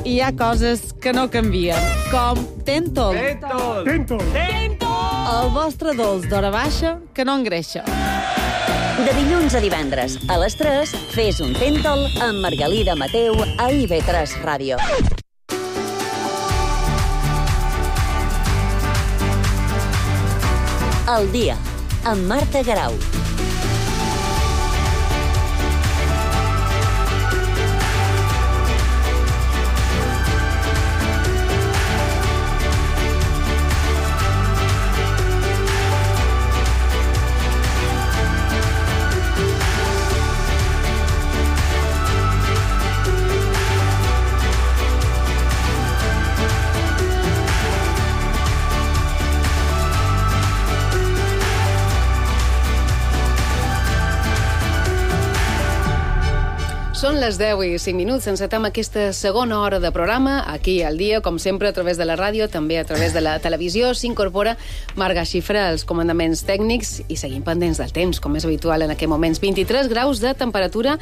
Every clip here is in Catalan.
hi ha coses que no canvien, com Tentol. El vostre dolç d'hora baixa que no engreixa. De dilluns a divendres, a les 3, fes un Tentol amb Margalida Mateu a IB3 Ràdio. El dia, amb Marta Garau. Són les 10 i 5 minuts. Encetem aquesta segona hora de programa, aquí al dia, com sempre, a través de la ràdio, també a través de la televisió. S'incorpora Marga Xifra als comandaments tècnics i seguim pendents del temps, com és habitual en aquests moments. 23 graus de temperatura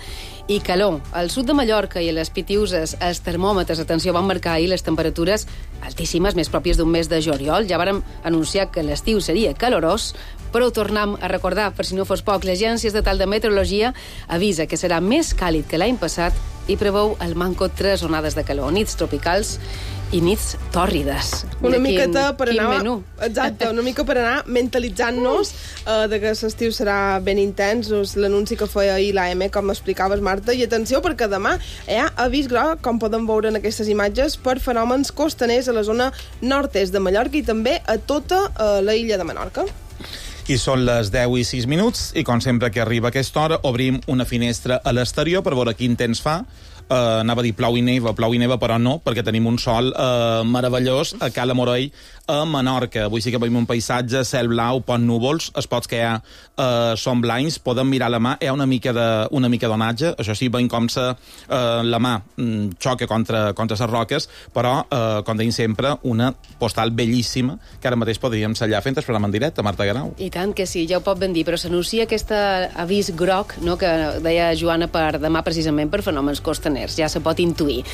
i calor. Al sud de Mallorca i a les Pitiuses, els termòmetres, atenció, van marcar ahir les temperatures altíssimes, més pròpies d'un mes de juliol. Ja vàrem anunciar que l'estiu seria calorós, però ho tornem a recordar, per si no fos poc, l'Agència Estatal de Meteorologia avisa que serà més càlid que l'any passat i preveu al manco 3 onades de calor, nits tropicals i nits tòrrides. Una miqueta per quin anar... menú. Exacte, una mica per anar mentalitzant-nos de que l'estiu serà ben intens, l'anunci que feia ahir l'AM, com explicaves, Marta, i atenció, perquè demà hi ha avís groc, com poden veure en aquestes imatges, per fenòmens costaners a la zona nord-est de Mallorca i també a tota la illa de Menorca. I són les 10 i 6 minuts i, com sempre que arriba aquesta hora, obrim una finestra a l'exterior per veure quin temps fa. Anava a dir plou i neva, però no, perquè tenim un sol meravellós a Cala Morell, a Menorca. Avui sí que veiem un paisatge, cel blau, pont núvols, els pots que hi ha són blancs, podem mirar la mà, hi ha una mica d'onatge, això sí, veiem com la mà xoca contra les roques, però, com deim sempre, una postal bellíssima, que ara mateix podríem sellar fent el programa en directe, Marta Garau. I tant que sí, ja ho pot ben dir, però s'anuncia aquest avís groc, no?, que deia Joana per demà precisament per fenòmens costaners. Ja se pot intuir.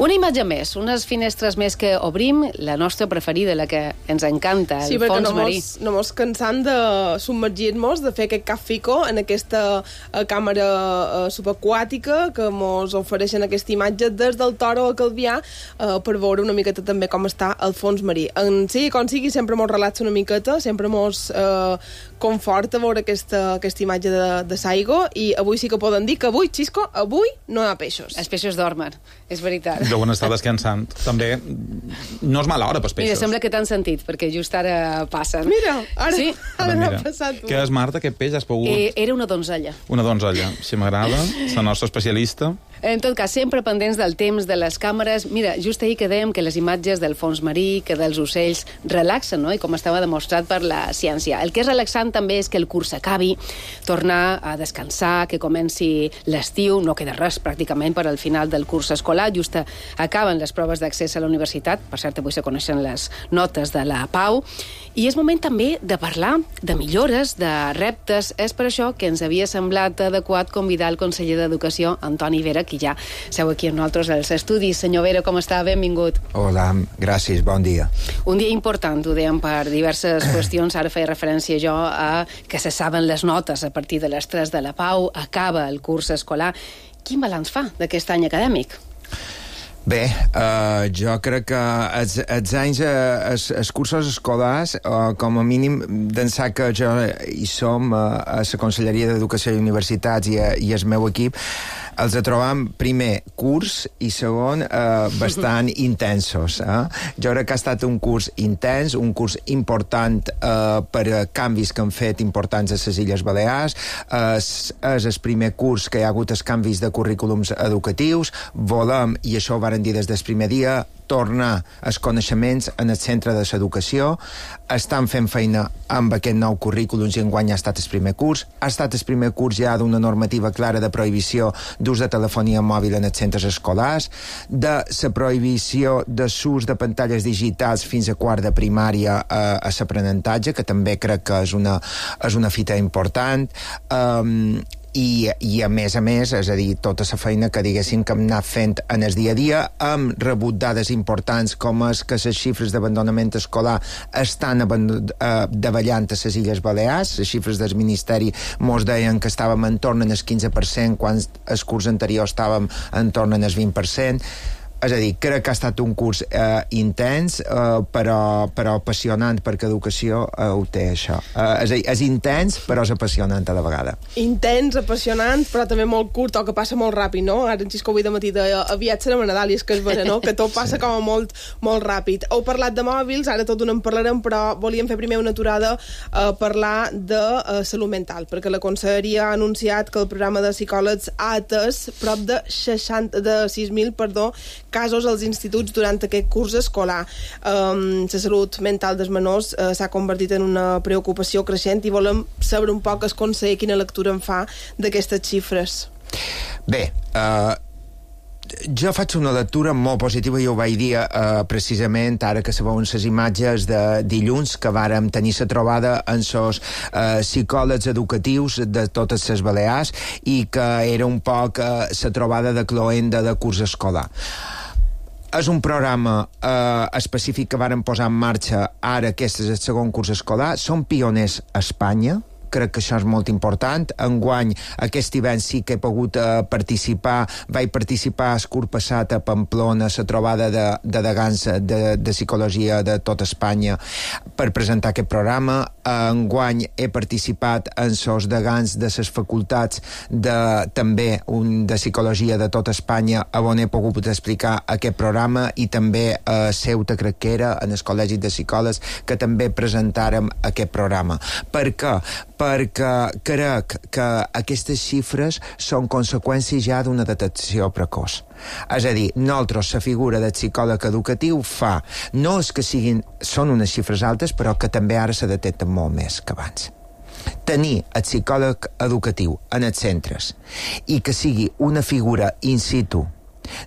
Una imatge més, unes finestres més que obrim, la nostra preferida, la que ens encanta, el fons marí. Sí, perquè no mos cansant de submergir-nos, de fer aquest cafico en aquesta càmera subaquàtica que mos ofereixen aquesta imatge des del Toro a Calvià per veure una miqueta també com està el fons marí. En sigui com sigui, sempre mos relaxa una miqueta, sempre mos conforta veure aquesta imatge de Saigo, i avui sí que poden dir que avui, Xisco, avui no hi ha peixos. Els peixos dormen, és veritat. Deuen estar descansant. També no és mala hora pels peixos. Mira, sembla que t'han sentit, perquè just ara passen. Mira, ara, sí? ara m'ha passat. Què és, Marta, aquest peix? Has pogut... Era una donzella. Una donzella, si m'agrada, la nostra especialista. En tot cas, sempre pendents del temps, de les càmeres. Mira, just ahir que dèiem que les imatges del fons marí, que dels ocells, relaxen, no?, i com estava demostrat per la ciència. El que és relaxant també és que el curs acabi, tornar a descansar, que comenci l'estiu, no queda res pràcticament per al final del curs escolar, just acaben les proves d'accés a la universitat, per cert, avui se coneixen les notes de la Pau, i és moment també de parlar de millores, de reptes. És per això que ens havia semblat adequat convidar el conseller d'Educació, Antoni Vera, que ja seu aquí amb nosaltres als estudis. Senyor Vera, com està? Benvingut. Hola, gràcies, bon dia. Un dia important, ho dèiem, per diverses qüestions. Ara feia referència jo a que se saben les notes a partir de les 3 de la Pau, acaba el curs escolar. Quin balanç fa d'aquest any acadèmic? Bé, jo crec que els anys, els cursos escolars, com a mínim, d'ençà que jo hi som a la Conselleria d'Educació i Universitats i el meu equip, els trobam, primer, curs, i segon, bastant intensos. Jo crec que ha estat un curs intens, un curs important per canvis que han fet importants a les Illes Balears. És el primer curs que hi ha hagut els canvis de currículums educatius. Volem, i això ho varen dir des del primer dia, tornar els coneixements en el centre de l'educació. Estan fent feina amb aquest nou currículum i enguany ha estat el primer curs. Ha estat el primer curs ja d'una normativa clara de prohibició d'ús de telefonia mòbil en els centres escolars, de la prohibició de l'ús de pantalles digitals fins a quart de primària a l'aprenentatge, que també crec que és una fita important. I a més, és a dir, tota la feina que diguéssim que hem anat fent en el dia a dia, hem rebut dades importants com és que les xifres d'abandonament escolar estan davallant a les Illes Balears. Les xifres del Ministeri mos deien que estàvem en torn al 15%, quan el curs anterior estàvem en torn al 20%. És a dir, crec que ha estat un curs intens, però apassionant, perquè educació ho té, això. És a dir, és intens, però és apassionant a la vegada. Intens, apassionant, però també molt curt, o que passa molt ràpid, no? Ara en Xisco avui de matí deia, aviat serem a Nadal, i és que és vera, no? Que tot passa com a molt, molt ràpid. Heu parlat de mòbils, ara tot en parlarem, però volíem fer primer una aturada a parlar de salut mental, perquè la Conselleria ha anunciat que el programa de psicòlegs ha atès prop de 6.000 casos als instituts durant aquest curs escolar. La salut mental dels menors s'ha convertit en una preocupació creixent i volem saber un poc el conseller quina lectura en fa d'aquestes xifres. Bé, jo faig una lectura molt positiva, i ho vaig dir precisament ara que se veuen les imatges de dilluns que vàrem tenir la trobada amb els psicòlegs educatius de totes les Balears, i que era un poc la trobada de cloenda de curs escolar. És un programa específic que varen posar en marxa ara, aquest és el segon curs escolar. Són pioners a Espanya, crec que això és molt important. Enguany, aquest hivern sí que he pogut participar. Vaig participar el curs passat a Pamplona, a la trobada de degans de psicologia de tot Espanya, per presentar aquest programa. Enguany he participat en els degans de les facultats també de psicologia de tot Espanya, on he pogut explicar aquest programa, i també a Ceuta, crec que era, en el Col·legi de Psicòlegs, que també presentàrem aquest programa. Per què? Perquè crec que aquestes xifres són conseqüències ja d'una detecció precoç. És a dir, nosaltres, la figura del psicòleg educatiu fa, no és que són unes xifres altes, però que també ara se detecten molt més que abans. Tenir el psicòleg educatiu en els centres i que sigui una figura in situ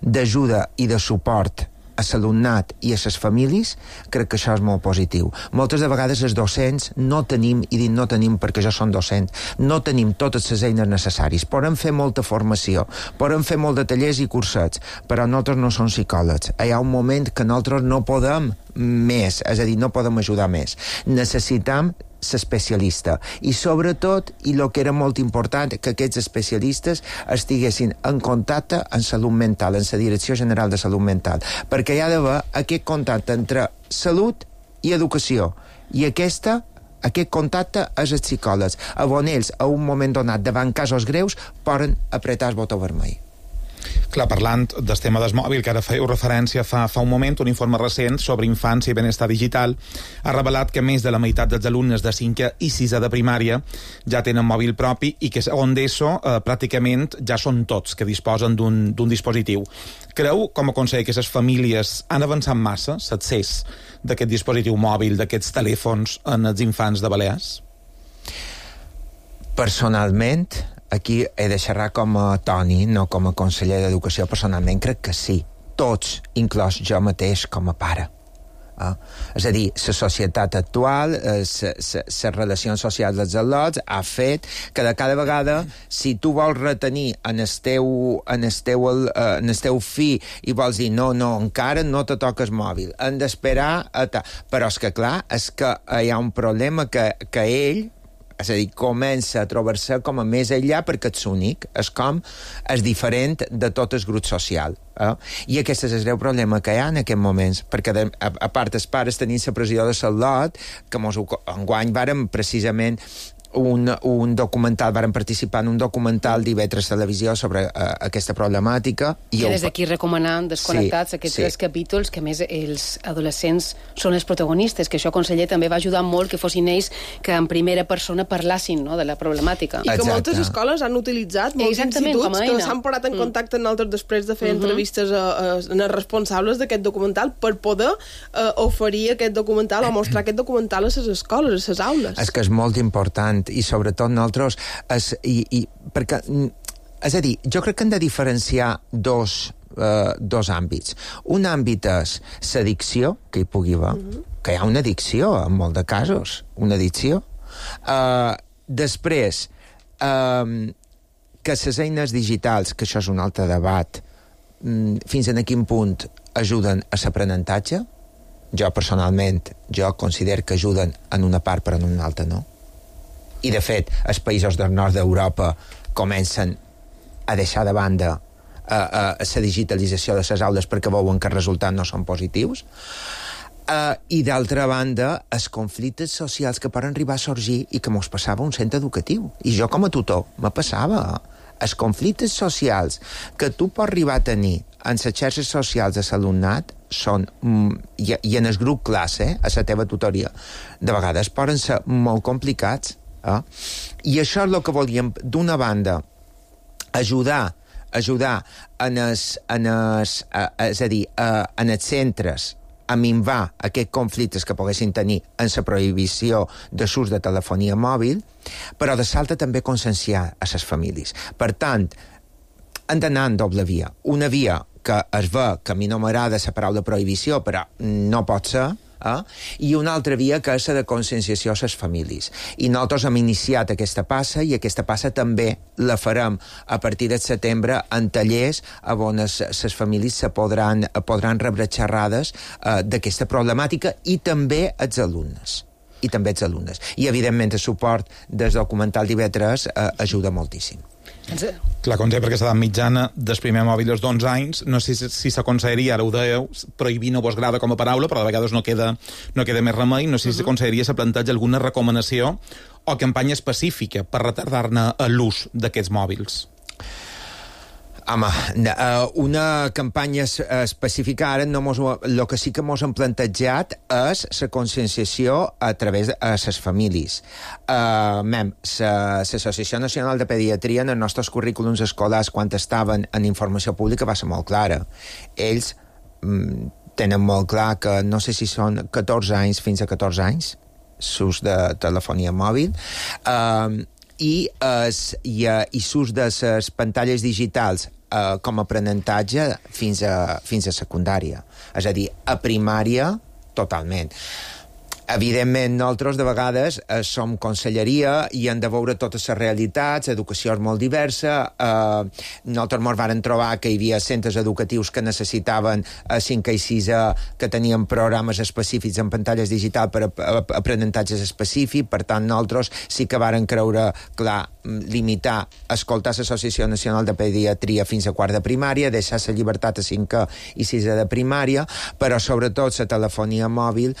d'ajuda i de suport a l'alumnat i a les famílies, crec que això és molt positiu. Moltes de vegades els docents no tenim, i dic no tenim perquè jo som docent, no tenim totes les eines necessàries. Podem fer molta formació, podem fer molt de tallers i cursets, però nosaltres no som psicòlegs. Hi ha un moment que nosaltres no podem més, és a dir, no podem ajudar més. Necessitam l'especialista, i sobretot, i el que era molt important, que aquests especialistes estiguessin en contacte amb salut mental, en la Direcció General de Salut Mental, perquè hi ha d'haver aquest contacte entre salut i educació, i aquest contacte és els psicòlegs, on ells, a un moment donat, davant casos greus, poden apretar el botó vermell. Clar, parlant del tema del mòbil, que ara fèieu referència fa un moment, un informe recent sobre infància i benestar digital ha revelat que més de la meitat dels alumnes de 5è i 6è de primària ja tenen mòbil propi, i que segon d'ESO pràcticament ja són tots que disposen d'un dispositiu. Creu, com a conseller, que les famílies han avançat massa l'accés d'aquest dispositiu mòbil, d'aquests telèfons en els infants de Balears? Personalment, aquí he de xerrar com a Toni, no com a conseller d'Educació. Personalment crec que sí, tots, inclòs jo mateix com a pare. És a dir, la societat actual, les relacions socials dels al·lots ha fet que de cada vegada, si tu vols retenir en el teu fill i vols dir no, encara no te toques mòbil, hem d'esperar però és que clar, és que hi ha un problema que ell, és a dir, comença a trobar-se com a més enllà perquè ets únic, és diferent de tot el grup social. I aquest és el greu problema que hi ha en aquests moments, perquè a part els pares tenint la pressió de l'al·lot, que enguany vàrem precisament un documental, vàrem participar en un documental d'IV3 Televisió sobre aquesta problemàtica. Que des d'aquí recomanant Desconnectats, aquests 3 capítols, que més els adolescents són els protagonistes, que això, conseller, també va ajudar molt que fossin ells que en primera persona parlassin, no?, de la problemàtica. I que moltes escoles han utilitzat, molts instituts que s'han posat en contacte amb nosaltres després de fer entrevistes als responsables d'aquest documental per poder oferir aquest documental o mostrar aquest documental a les escoles, a les aules. És que és molt important, i sobretot nosaltres perquè, és a dir, jo crec que hem de diferenciar dos àmbits. Un àmbit és l'addicció, que hi pugui haver, que hi ha una addicció en molts de casos, una addicció. Després, que les eines digitals, que això és un altre debat, fins a quin punt ajuden a l'aprenentatge. Jo, personalment, considero que ajuden en una part però en una altra no. I, de fet, els països del nord d'Europa comencen a deixar de banda la digitalització de les aules perquè veuen que els resultats no són positius. I, d'altra banda, els conflictes socials que poden arribar a sorgir i que mos passava a un centre educatiu. I jo, com a tutor, me passava. Els conflictes socials que tu pots arribar a tenir en les xarxes socials de l'alumnat són, i en el grup classe, a la teva tutoria, de vegades poden ser molt complicats. I això és el que volíem, d'una banda, ajudar en els centres a minvar aquests conflictes que poguessin tenir en la prohibició de l'ús de telefonia mòbil, però de l'altra també conscienciar a les famílies. Per tant, hem d'anar en doble via. Una via que es ve, que a mi no m'agrada la paraula prohibició, però no pot ser, i una altra via que és la de conscienciació a les famílies. I nosaltres hem iniciat aquesta passa, i aquesta passa també la farem a partir de setembre en tallers on les famílies se podran rebre xerrades d'aquesta problemàtica, i també els alumnes. I, evidentment, el suport del documental d'IV3 ajuda moltíssim. Clar, com sempre, aquesta edat mitjana del primer mòbil dels 11 anys, no sé si s'aconsellaria, ara ho dèieu, prohibir no vos agrada com a paraula, però de vegades no queda més remei, no sé si s'aconsellaria se planteja alguna recomanació o campanya específica per retardar-ne l'ús d'aquests mòbils. Home, una campanya específica ara el que sí que mos hem plantejat és la conscienciació a través de les famílies. L'Associació Nacional de Pediatria en els nostres currículums escolars, quan estaven en informació pública, va ser molt clara. Ells tenen molt clar que no sé si són 14 anys fins a 14 anys l'ús de telefonia mòbil, i l'ús de les pantalles digitals com a aprenentatge fins a secundària. És a dir, a primària, totalment. Evidentment, nosaltres de vegades som conselleria i hem de veure totes les realitats, educació és molt diversa, nosaltres ens varen trobar que hi havia centres educatius que necessitaven a 5 i 6 que tenien programes específics en pantalles digitals per aprenentatges específics, per tant nosaltres sí que varen creure, clar, limitar, escoltar l'Associació Nacional de Pediatria fins a quart de primària, deixar la llibertat a 5 i 6 de primària, però sobretot la telefonia mòbil,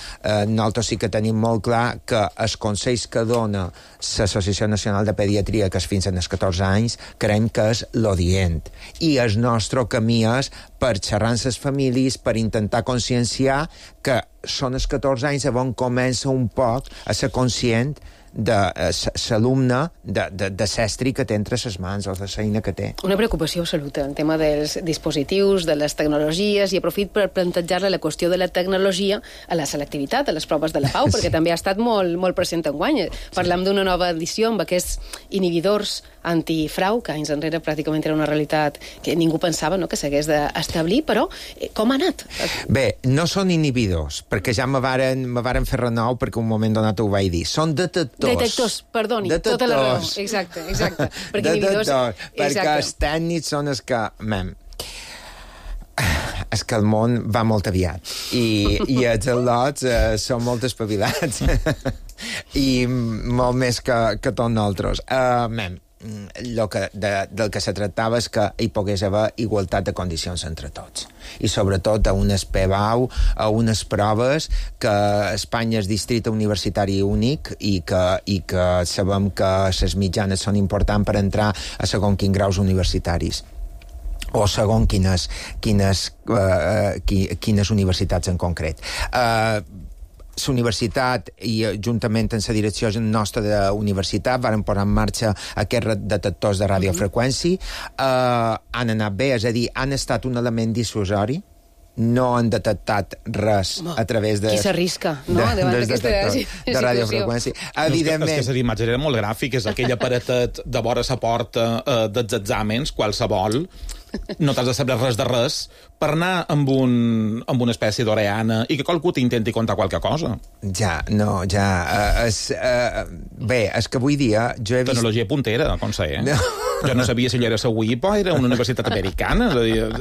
nosaltres sí que tenim molt clar que els consells que dona l'Associació Nacional de Pediatria, que és fins als 14 anys, creiem que és l'odient. I el nostre camí és per xerrar amb les famílies, per intentar conscienciar que són els 14 anys on comença un poc a ser conscient de l'alumne de l'estri que té entre les mans o de l'eina que té. Una preocupació absoluta, el tema dels dispositius, de les tecnologies, i aprofit per plantejar-le la qüestió de la tecnologia a la selectivitat, a les proves de la Pau, perquè també ha estat molt present enguany. Parlem d'una nova edició amb aquests inhibidors antifrau, que anys enrere pràcticament era una realitat que ningú pensava que s'hagués d'establir, però com ha anat? Bé, no són inhibidors, perquè ja me varen fer renou perquè un moment donat ho vaig dir. Són detectors, perdoni, tota la raó. Exacte. Perquè detectors, perquè els tècnics són els que... És que el món va molt aviat i els al·lots són molt espavilats i molt més que tots nosaltres. Del que se tractava és que hi pogués haver igualtat de condicions entre tots, i sobretot a unes PBAU, a unes proves que Espanya és districte universitari únic i que sabem que les mitjanes són importants per entrar a segons quins graus universitaris o segons quines universitats en concret. La universitat, i juntament amb la direcció nostra de la universitat, varen posar en marxa aquests detectors de radiofreqüència. Han anat bé, és a dir, han estat un element dissuasori, no han detectat res a través de... Qui s'arrisca, no?, davant d'aquesta de radiofreqüència. Evidentment... És que la imatge era molt gràfica, és aquell aparatet de vora la porta dels exàmens, qualsevol, no t'has de saber res de res, per anar amb una espècie d'oreana i que qualcú t'intenti contar qualque cosa. Bé, és que avui dia jo he vist... Tecnologia puntera, com sé, No. Jo no sabia si allò era la UIP o era una universitat americana.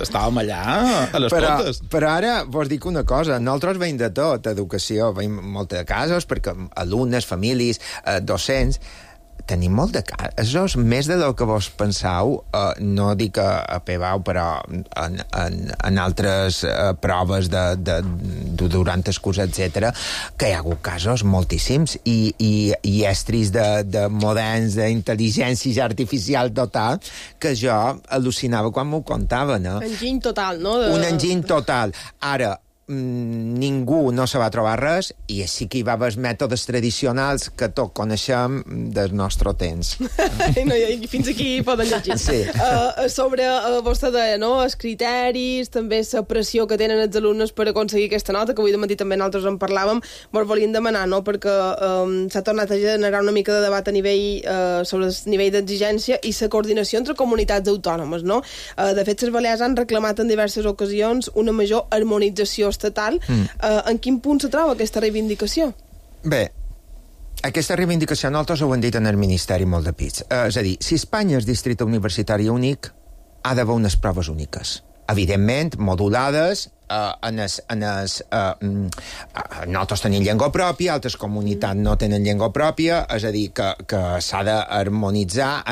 Estàvem allà a les portes. Però ara vos dic una cosa. Nosaltres veiem de tot, educació. Veiem molts casos, perquè alumnes, famílies, docents... Tenim molt de casos, més de lo que vos penseu, no dic a PBAU, però en altres proves durant el curs, etc., que hi ha hagut casos moltíssims i estris de moderns d'intel·ligència artificial total, que jo al·lucinava quan m'ho contaven. Enginy total, no? Un enginy total. Ara, ningú no se va trobar res i sí que hi va haver mètodes tradicionals que tots coneixem del nostre temps. I fins aquí poden llegir. Sí. Sobre, vostè deia, no?, els criteris, també la pressió que tenen els alumnes per aconseguir aquesta nota, que avui de matí també nosaltres en parlàvem, vos volíem demanar, no?, perquè s'ha tornat a generar una mica de debat a nivell sobre el nivell d'exigència i la coordinació entre comunitats autònomes, no? De fet, les Balears han reclamat en diverses ocasions una major harmonització estatal. En quin punt se troba aquesta reivindicació? Bé, aquesta reivindicació nosaltres ho hem dit en el Ministeri molt de pits. És a dir, si Espanya és districte universitari únic, ha d'haver unes proves úniques. Evidentment, modulades, nosaltres tenim llengua pròpia, altres comunitats no tenen llengua pròpia, és a dir, que s'ha d'harmonitzar,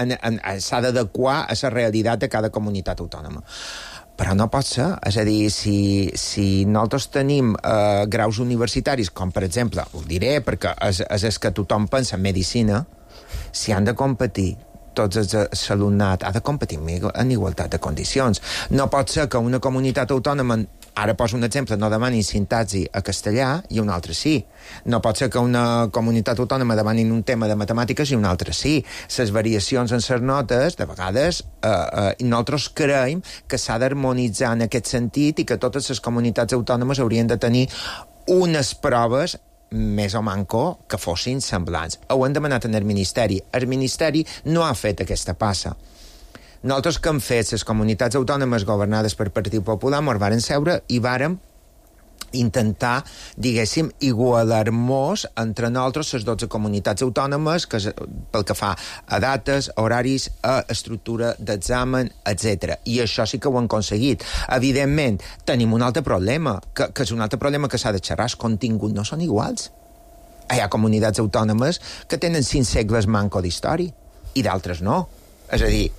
s'ha d'adequar a la realitat de cada comunitat autònoma. Però no pot ser. És a dir, si nosaltres tenim graus universitaris, com per exemple, ho diré perquè és que tothom pensa en medicina, si han de competir tots l'alumnat ha de competir en igualtat de condicions. No pot ser que una comunitat autònoma, ara poso un exemple, no demani sintaxi a castellà i una altra sí. No pot ser que una comunitat autònoma demanin un tema de matemàtiques i una altra sí. Les variacions en les notes, de vegades, nosaltres creiem que s'ha d'harmonitzar en aquest sentit i que totes les comunitats autònomes haurien de tenir unes proves més o manco que fossin semblants. Ho hem demanat en el Ministeri. El Ministeri no ha fet aquesta passa. Nosaltres que hem fet, les comunitats autònomes governades per Partit Popular, ens varen seure i vàrem intentar, diguéssim, igualar-nos entre nosaltres les 12 comunitats autònomes pel que fa a dates, horaris, a estructura d'examen, etc. I això sí que ho hem aconseguit. Evidentment, tenim un altre problema, que és un altre problema que s'ha de xerrar, els continguts no són iguals. Hi ha comunitats autònomes que tenen 5 segles manco d'història i d'altres no. És a dir,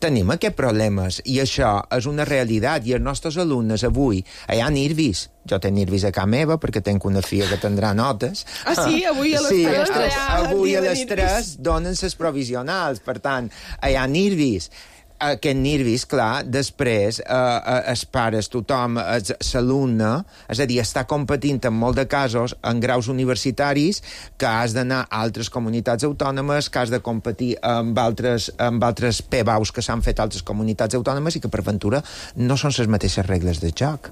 tenim aquests problemes i això és una realitat i els nostres alumnes avui hi ha nervis. Jo tenc nervis a casa meva perquè tinc una filla que tindrà notes. Ah, sí? Avui a les 3? Sí, avui a les 3 donen les provisionals, per tant, hi ha nervis. Aquest nervis, clar, després els pares, tothom, l'alumne, és a dir, està competint en molts de casos en graus universitaris que has d'anar a altres comunitats autònomes, que has de competir amb altres PBAUs que s'han fet a altres comunitats autònomes i que, per ventura, no són les mateixes regles de joc.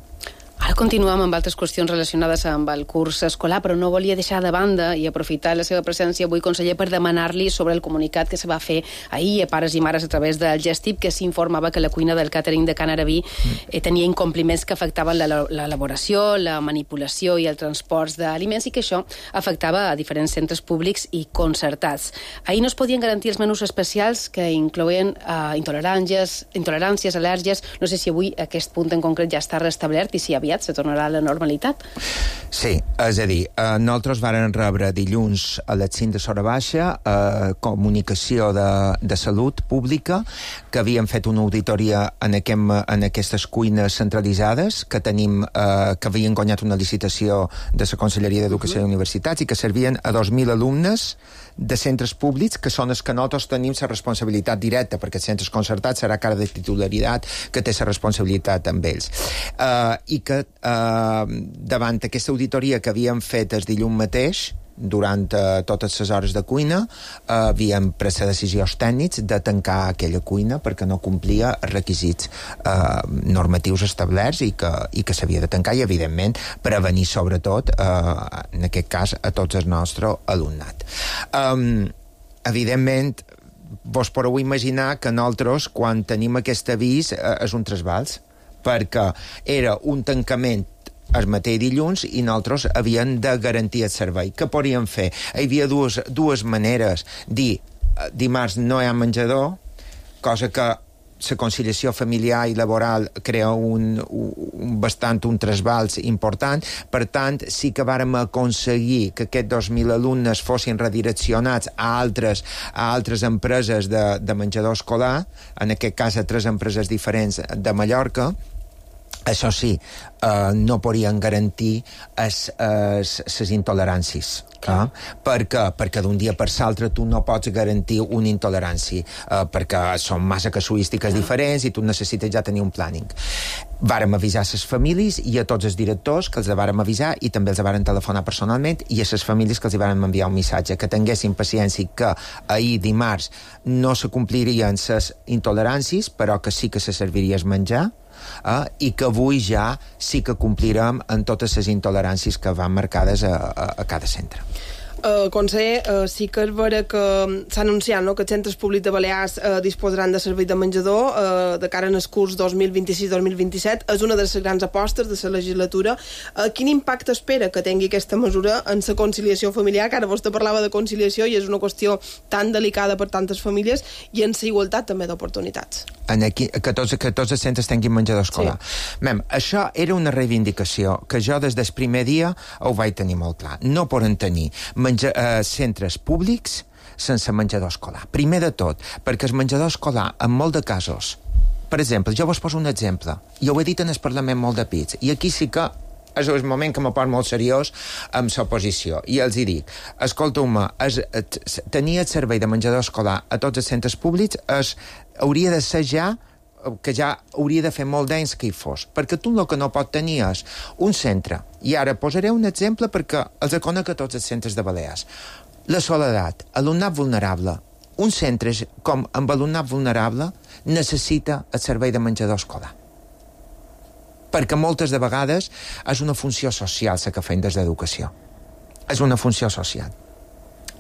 Ara continuem amb altres qüestions relacionades amb el curs escolar, però no volia deixar de banda i aprofitar la seva presència avui, conseller, per demanar-li sobre el comunicat que se va fer ahir a pares i mares a través del Gestip, que s'informava que la cuina del càtering de Can Arabí tenia incompliments que afectaven l'elaboració, la manipulació i el transport d'aliments i que això afectava a diferents centres públics i concertats. Ahir no es podien garantir els menús especials que incloïen intoleràncies, al·lèrgies. No sé si avui aquest punt en concret ja està restablert i si aviat se tornarà a la normalitat. Sí, és a dir, nosaltres vàrem rebre dilluns a les 5 de Sora Baixa comunicació de salut pública que havien fet una auditoria en aquestes cuines centralitzades que tenim, que havien guanyat una licitació de la Conselleria d'Educació i Universitats i que servien a 2.000 alumnes de centres públics, que són els que nosaltres tenim la responsabilitat directa, perquè els centres concertats serà cara de titularitat que té la responsabilitat amb ells. I que davant aquesta auditoria que havíem fet el dilluns mateix, durant totes les hores de cuina, havíem pres decisions tècnics de tancar aquella cuina perquè no complia els requisits normatius establerts i que s'havia de tancar i, evidentment, prevenir sobretot, en aquest cas, a tots el nostre alumnat. Evidentment, vos podeu imaginar que nosaltres, quan tenim aquest avís, és un trasbals, perquè era un tancament el mateix dilluns i nosaltres havíem de garantir el servei. Què podíem fer? Hi havia dues maneres. Dir, dimarts no hi ha menjador, cosa que la conciliació familiar i laboral crea un trasbals important. Per tant, sí que vàrem aconseguir que aquests 2.000 alumnes fossin redireccionats a altres empreses de menjador escolar, en aquest cas a 3 empreses diferents de Mallorca. Això sí, no podien garantir les intoleràncies. Per què? Perquè d'un dia per l'altre tu no pots garantir una intolerància, perquè són massa casuístiques diferents i tu necessites ja tenir un planning. Vàrem avisar les famílies i a tots els directors que els vàrem avisar i també els vàrem telefonar personalment i a les famílies que els vàrem enviar un missatge, que tinguessin paciència, que ahir dimarts no se complirien les intoleràncies, però que sí que se serviria el menjar, i que avui ja sí que complirem en totes les intoleràncies que van marcades a cada centre. Conseller, sí que és vera que s'ha anunciat, no?, que els centres públics de Balears disposaran de servei de menjador de cara en el curs 2026-2027. És una de les grans apostes de la legislatura. Quin impacte espera que tingui aquesta mesura en la conciliació familiar? Que ara vostè parlava de conciliació i és una qüestió tan delicada per tantes famílies, i en la igualtat també d'oportunitats. Que tots els centres tinguin menjador escolar. Sí. Això era una reivindicació que jo des del primer dia ho vaig tenir molt clar. No poden tenir centres públics sense menjador escolar. Primer de tot, perquè el menjador escolar, en molt de casos, per exemple, jo vos poso un exemple, i ho he dit en el Parlament molt de pits, i aquí sí que és el moment que me poso molt seriós amb l'oposició, i els hi dic, escolteu-me, tenir el servei de menjador escolar a tots els centres públics hauria de ser que ja hauria de fer molt d'anys que hi fos, perquè tu el que no pot tenir és un centre, i ara posaré un exemple perquè els conec a tots els centres de Balears. La soledat, alumnat vulnerable. Un centre com amb alumnat vulnerable necessita el servei de menjador escolar, perquè moltes de vegades és una funció social la que fem des d'educació. És una funció social.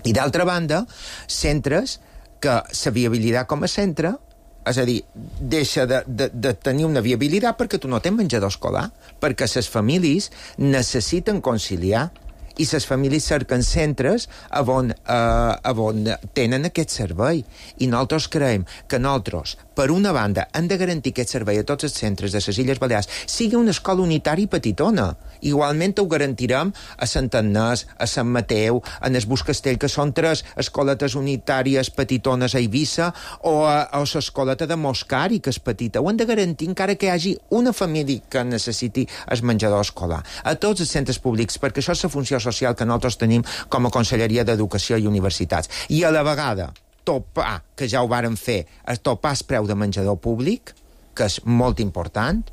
I d'altra banda, centres que la viabilitat com a centre, és a dir, deixa de tenir una viabilitat perquè tu no tens menjador escolar, perquè les famílies necessiten conciliar i les famílies cerquen centres on tenen aquest servei. I nosaltres creiem que nosaltres, per una banda, hem de garantir aquest servei a tots els centres de les Illes Balears, sigui una escola unitària petitona. Igualment ho garantirem a Sant Agnès, a Sant Mateu, a el Bus Castell, que són 3 escoletes unitàries petitones a Eivissa, o a l'escoleta de Moscari, que és petita. Ho hem de garantir encara que hi hagi una família que necessiti el menjador escolar. A tots els centres públics, perquè això és la funció social que nosaltres tenim com a Conselleria d'Educació i Universitats. I a la vegada topar, que ja ho vàrem fer, topar el preu de menjador públic, que és molt important,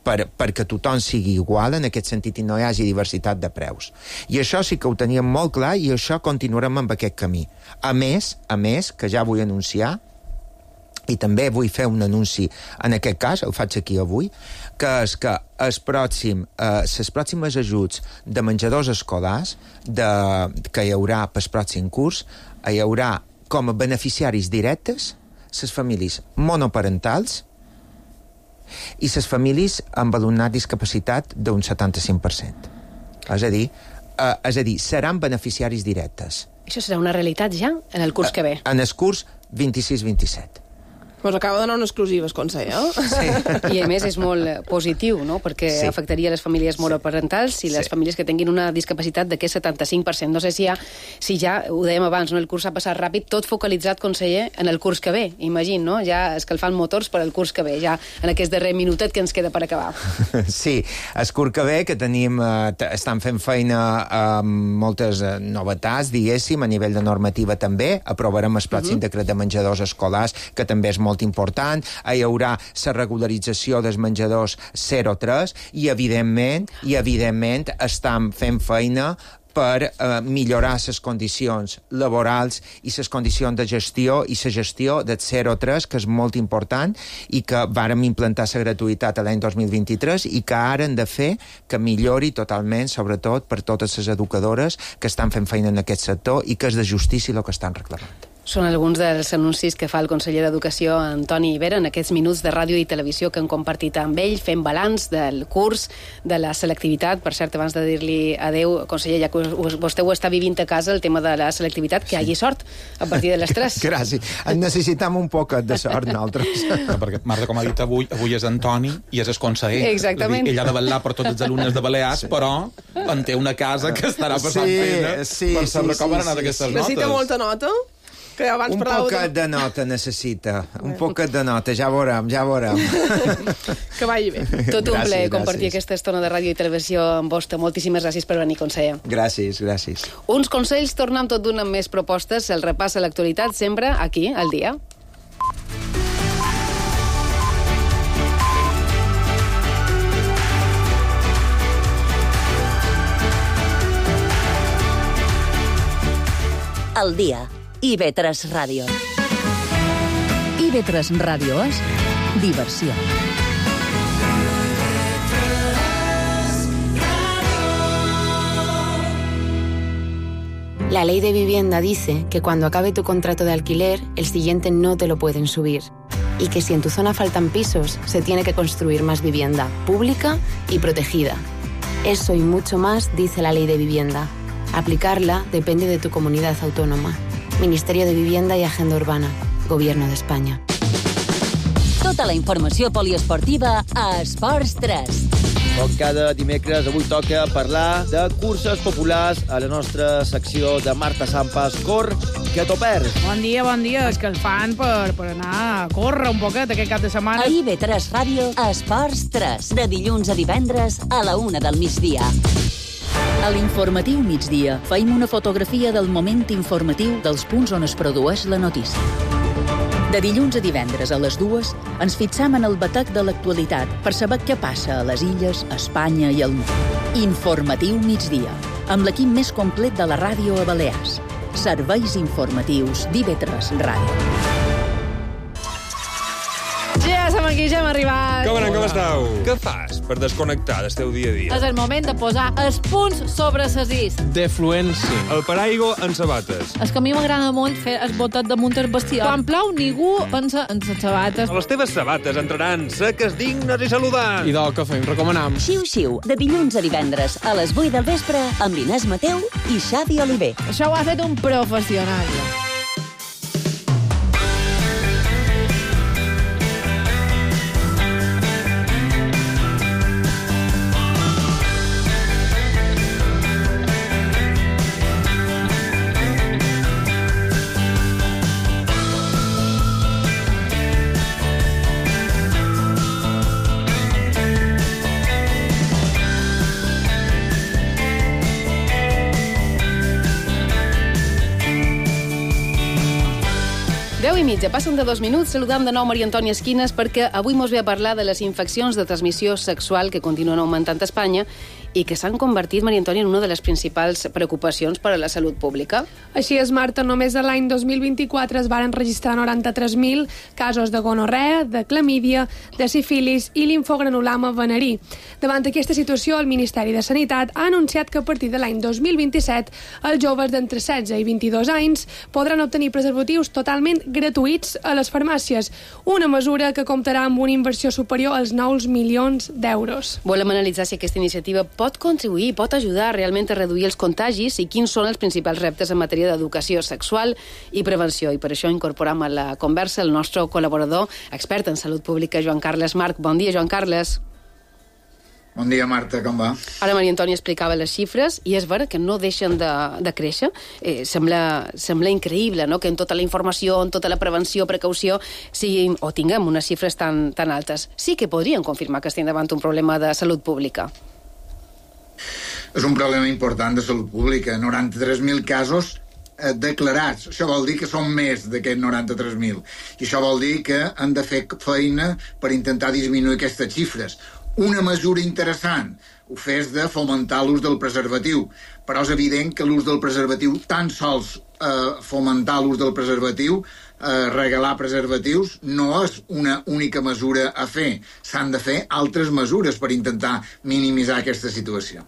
perquè tothom sigui igual en aquest sentit i no hi hagi diversitat de preus. I això sí que ho teníem molt clar i això continuarem amb aquest camí. A més, que ja vull anunciar, i també vull fer un anunci en aquest cas, el faig aquí avui, que és que les pròximes ajuts de menjadors escolars que hi haurà pel pròxim curs, hi haurà com a beneficiaris directes les famílies monoparentals i les famílies amb alumnat discapacitat d'un 75%. És a dir, seran beneficiaris directes. Això serà una realitat ja en el curs que ve? En el curs 26-27. Pues acaba de donar unes exclusives, conseller. Sí. I a més és molt positiu, no?, perquè afectaria les famílies monoparentals i les famílies que tinguin una discapacitat d'aquest 75%. No sé si ja ho dèiem abans, no?, el curs ha passat ràpid, tot focalitzat, conseller, en el curs que ve, imagino, no?, ja escalfant motors per al curs que ve, ja en aquest darrer minutet que ens queda per acabar. Sí, el curs que ve, que tenim, estan fent feina amb moltes novetats, diguéssim, a nivell de normativa també, aprovarem el pròxim decret de menjadors escolars, que també és molt important, hi haurà la regularització dels menjadors 0-3 i evidentment estan fent feina per millorar les condicions laborals i les condicions de gestió i la gestió del 0-3, que és molt important i que vàrem implantar la gratuïtat l'any 2023 i que ara hem de fer que millori totalment, sobretot per totes les educadores que estan fent feina en aquest sector i que és de justícia el que estan reclamant. Són alguns dels anuncis que fa el conseller d'Educació, Antoni Ibera, en aquests minuts de ràdio i televisió que han compartit amb ell, fent balanç del curs, de la selectivitat. Per cert, abans de dir-li adeu, conseller, ja que vostè ho està vivint a casa, el tema de la selectivitat, que hi hagi sort a partir de les 3. Gràcies. Necessitem un poc de sort, nosaltres. No, perquè Marta, com ha dit avui és Antoni i és el conseller. Exactament. Ell ha de vetllar per tots els alumnes de Balears, però en té una casa que estarà passant pena per saber com han anat aquestes notes. Necessita molta nota? Que abans un poquet de nota necessita. Un poquet de nota, ja veurem. Que vagi bé. Tot un plaer compartir aquesta estona de ràdio i televisió amb vostè. Moltíssimes gràcies per venir, conseller. Gràcies. Uns consells, tornem tot d'una amb més propostes. El repàs a l'actualitat sempre aquí, al dia. Al dia. IB3 Ràdio. IB3 Ràdio és diversió. La ley de vivienda dice que cuando acabe tu contrato de alquiler, el siguiente no te lo pueden subir. Y que si en tu zona faltan pisos, se tiene que construir más vivienda, pública y protegida. Eso y mucho más dice la ley de vivienda. Aplicarla depende de tu comunidad autónoma. Ministerio de Vivienda i Agenda Urbana. Gobierno d'Espanya. Tota la informació poliesportiva a Esports 3. Com cada dimecres, avui toca parlar de curses populars a la nostra secció de Marta Sampas. Cor, que t'ho perds. Bon dia. És que el fan per anar a córrer un poquet aquest cap de setmana. A IB3 Ràdio, Esports 3. De dilluns a divendres a la 1 del migdia. A l'informatiu migdia feim una fotografia del moment informatiu dels punts on es produeix la notícia. De dilluns a divendres a les 2 ens fixam en el batec de l'actualitat per saber què passa a les illes, a Espanya i al món. Informatiu migdia, amb l'equip més complet de la ràdio a Balears. Serveis informatius d'IB3 Ràdio. Ja som aquí, ja hem arribat. Com estàu? Què fas per desconnectar del teu dia a dia? És el moment de posar els punts sobre les is. Defluència. El paraigua en sabates. És que a mi m'agrada molt fer el botet damunt el bestiar. Quan plou, ningú pensa en les sabates. Les teves sabates entraran seques, dignes i saludants. I del que fem, recomanam. Xiu-xiu, de dilluns a divendres a les 8 del vespre amb Inés Mateu i Xavi Oliver. Això ho ha fet un professional. Ja passen de 2 minuts, saludam de nou Maria Antònia Esquines perquè avui mos ve a parlar de les infeccions de transmissió sexual que continuen augmentant a Espanya i que s'han convertit, Maria Antònia, en una de les principals preocupacions per a la salut pública. Així és, Marta, només a l'any 2024 es varen registrar 93.000 casos de gonorrea, de clamídia, de sífilis i linfogranuloma venerí. Davant aquesta situació, el Ministeri de Sanitat ha anunciat que a partir de l'any 2027 els joves d'entre 16 i 22 anys podran obtenir preservatius totalment gratuïts a les farmàcies, una mesura que comptarà amb una inversió superior als 9 milions d'euros. Volem analitzar si aquesta iniciativa pot contribuir, pot ajudar realment a reduir els contagis i quins són els principals reptes en matèria d'educació sexual i prevenció. I per això incorporem a la conversa el nostre col·laborador, expert en salut pública, Joan Carles Marc. Bon dia, Joan Carles. Bon dia, Marta, com va? Ara Maria Antònia explicava les xifres i és vera que no deixen de créixer. Sembla increïble, no?, que en tota la informació, en tota la prevenció, precaució, tinguem unes xifres tan altes. Sí que podrien confirmar que estem davant un problema de salut pública. És un problema important de salut pública. 93.000 casos declarats. Això vol dir que són més d'aquests 93.000. I això vol dir que han de fer feina per intentar disminuir aquestes xifres. Una mesura interessant ho fes de fomentar l'ús del preservatiu, però és evident que l'ús del preservatiu, tan sols fomentar l'ús del preservatiu, regalar preservatius, no és una única mesura a fer. S'han de fer altres mesures per intentar minimitzar aquesta situació.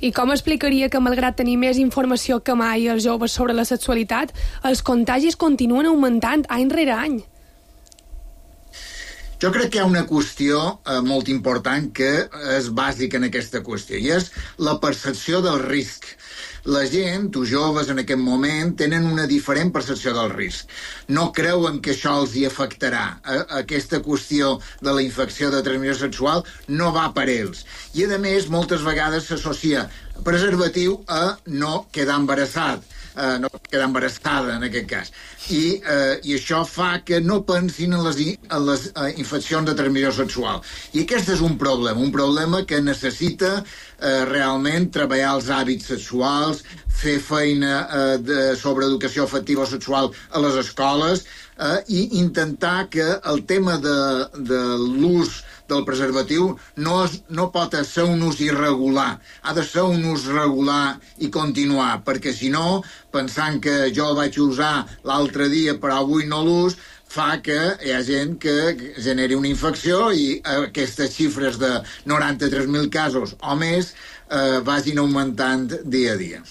I com explicaria que, malgrat tenir més informació que mai els joves sobre la sexualitat, els contagis continuen augmentant any rere any? Jo crec que hi ha una qüestió molt important que és bàsica en aquesta qüestió, i és la percepció del risc. La gent, els joves en aquest moment, tenen una diferent percepció del risc. No creuen que això els hi afectarà. Aquesta qüestió de la infecció de transmissió sexual no va per ells. I, a més, moltes vegades s'associa preservatiu a no quedar embarassat. No quedar embarassada, en aquest cas. I això fa que no pensin en les infeccions de transmissió sexual. I aquest és un problema que necessita realment treballar els hàbits sexuals, fer feina sobre educació afectiva o sexual a les escoles i intentar que el tema de l'ús del preservatiu no pot ser un ús irregular. Ha de ser un ús regular i continuar, perquè si no, pensant que jo el vaig usar l'altre dia però avui no l'ús, fa que hi ha gent que generi una infecció i aquestes xifres de 93.000 casos o més vagin augmentant dia a dia.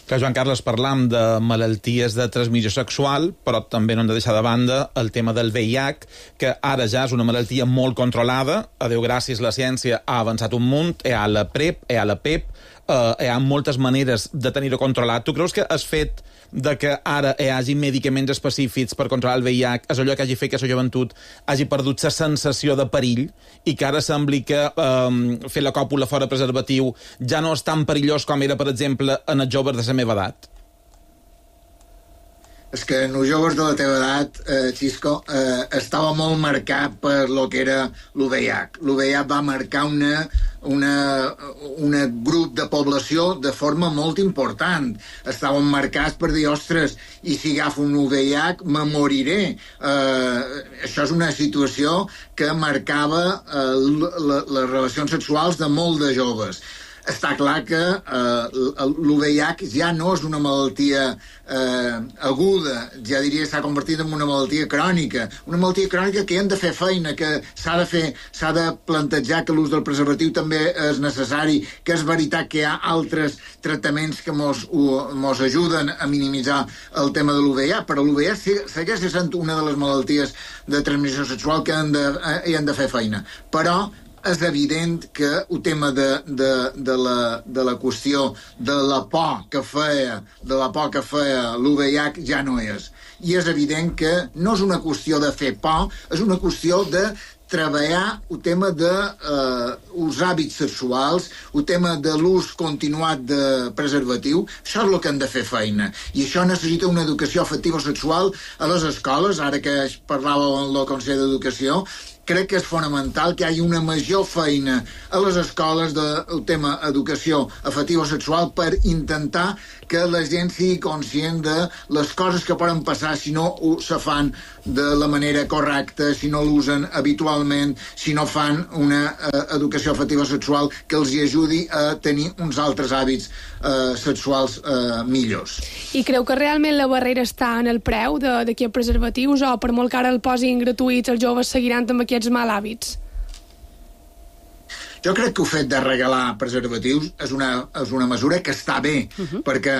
Que Joan Carles, parlam de malalties de transmissió sexual, però també no hem de deixar de banda el tema del VIH, que ara ja és una malaltia molt controlada. A Déu gràcies, la ciència ha avançat un munt, hi ha la PrEP, hi ha la PEP, hi ha moltes maneres de tenir-ho controlat. Tu creus que el fet de que ara hi hagi medicaments específics per controlar el VIH és allò que hagi fet que la joventut hagi perdut la sensació de perill i que ara sembli que fer la còpula fora preservatiu ja no és tan perillós com era, per exemple, en els joves de la meva edat? És que en els joves de la teva edat, Xisco, estava molt marcat per lo que era l'UVH. L'UVH va marcar un grup de població de forma molt important. Estaven marcats per dir, ostres, i si agafo un VIH me moriré. Això és una situació que marcava les relacions sexuals de molt de joves. Està clar que l'UVH ja no és una malaltia aguda, ja diria que s'ha convertit en una malaltia crònica que hi hem de fer feina, que s'ha de plantejar que l'ús del preservatiu també és necessari, que és veritat que hi ha altres tractaments que mos ajuden a minimitzar el tema de l'UVH, però l'UVH segueix sent una de les malalties de transmissió sexual que hi hem de fer feina. Però és evident que el tema de la qüestió de la por que feia l'UVH ja no és. I és evident que no és una qüestió de fer por, és una qüestió de treballar el tema dels hàbits sexuals, el tema de l'ús continuat de preservatiu. Això és el que hem de fer feina. I això necessita una educació afectiva sexual a les escoles. Ara que parlava amb el Consell d'Educació, crec que és fonamental que hi hagi una major feina a les escoles del tema educació afectiva sexual per intentar que la gent sigui conscient de les coses que poden passar si no se fan de la manera correcta, si no l'usen habitualment, si no fan una educació afectiva sexual que els hi ajudi a tenir uns altres hàbits sexuals millors. I creu que realment la barrera està en el preu d'aquests preservatius o per molt que ara el posin gratuïts els joves seguiran amb aquests mal hàbits? Jo crec que el fet de regalar preservatius és una mesura que està bé, perquè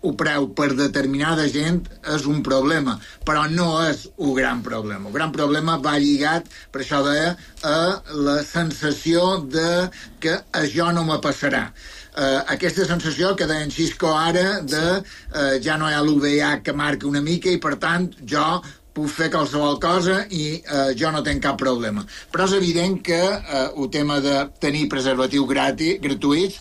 el preu per determinada gent és un problema, però no és un gran problema. El gran problema va lligat, per això deia, a la sensació de que això no me passarà. Aquesta sensació que deia en Xisco ara de ja no hi ha l'UVH que marca una mica i, per tant, jo puc fer qualsevol cosa i jo no tinc cap problema. Però és evident que el tema de tenir preservatius gratuïts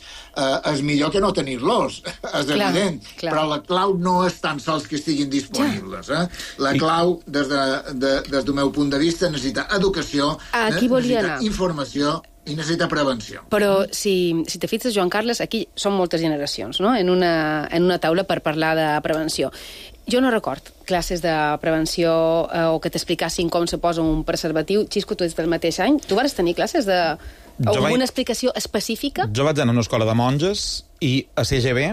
és millor que no tenir-los, és evident. Però la clau no és tan sols que estiguin disponibles. La clau, des del meu punt de vista, necessita educació, necessita informació i necessita prevenció. Però si te fixes, Joan Carles, aquí són moltes generacions, no?, en una taula per parlar de prevenció. Jo no record classes de prevenció o que t'explicassin com se posa un preservatiu. Xisco, tu ets del mateix any. Tu vas tenir classes alguna explicació específica? Jo vaig anar a una escola de monges i a CGB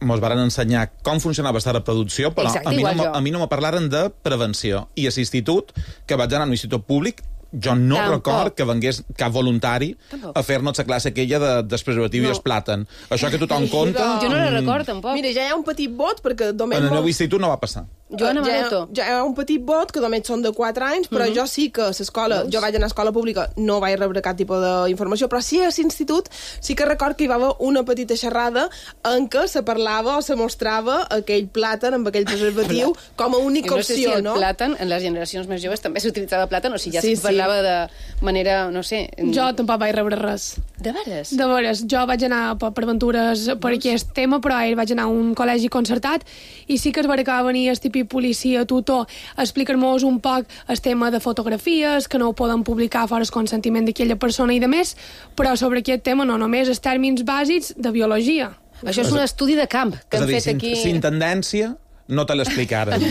mos varen ensenyar com funcionava aquesta reproducció, però a mi no me parlaren de prevenció. I a l'institut, que vaig anar a un institut públic, jo no record que vengués cap voluntari a fer-nos la classe aquella del preservatiu i el plàtan. Això que tothom compta... Jo no la record, tampoc. Mira, ja hi ha un petit vot, perquè només... En el meu institut no va passar. Ja hi ha un petit vot, que només són de 4 anys, però jo sí que a l'escola, jo vaig anar a escola pública, no vaig rebre cap tipus d'informació, però sí a l'institut sí que record que hi va haver una petita xerrada en què se parlava o se mostrava aquell plàtan amb aquell preservatiu com a única opció, no? No sé si el plàtan, en les generacions més joves també s'utilitzava plàtan, o si ja se parlava de manera, no sé... Jo tampoc vaig rebre res. De veres? De veres. Jo vaig anar per aventures per aquest tema, però ahir vaig anar a un col·legi concertat i sí que es va venir el típic policia, tutor, a explicar-nos un poc el tema de fotografies, que no ho poden publicar fora el consentiment d'aquella persona i de més, però sobre aquest tema no només els tèrmins bàsics de biologia. Això és un estudi de camp que han fet aquí... Sin tendència, no te l'explicaren.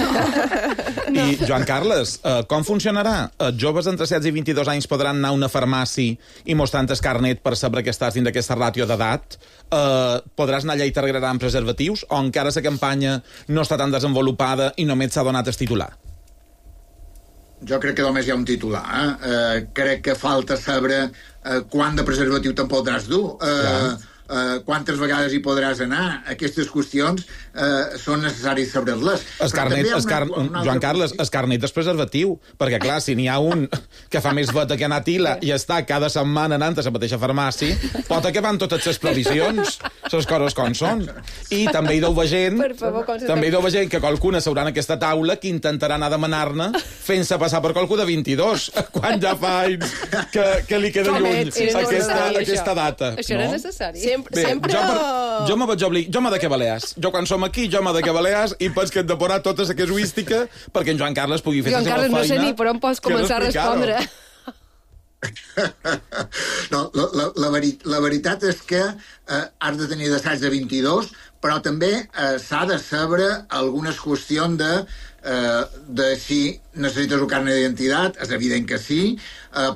I, Joan Carles, com funcionarà? Joves entre 16 i 22 anys podran anar a una farmàcia i mostrant el carnet per saber que estàs dins d'aquesta ràtio d'edat? Podràs anar allà i t'arreglaran preservatius? O encara la campanya no està tan desenvolupada i només s'ha donat el titular? Jo crec que només hi ha un titular. Crec que falta saber quant de preservatiu te'n podràs dur. Quantes vegades hi podràs anar. Aquestes qüestions són necessaris saber-les. Joan Carles, el carnet és preservatiu, perquè clar, si n'hi ha un que fa més veta que anar a Tila i està cada setmana anant a la mateixa farmàcia, pot acabar amb totes les provisions, les coses com són. I també hi deu gent que qualcuna seurà en aquesta taula que intentarà anar a demanar-ne fent-se passar per qualcú de 22, quan ja fa anys que li queda lluny aquesta data. Això era necessari. Jo m'ha de que balears. Jo quan som aquí, jo m'ha de que balears i penso que hem de posar tota la casuística perquè en Joan Carles pugui fer la seva feina. Joan Carles, no sé ni per on pots començar a respondre. No, la veritat és que has de tenir d'assaig de 22, però també s'ha de saber algunes qüestions de si necessites un carnet d'identitat, és evident que sí,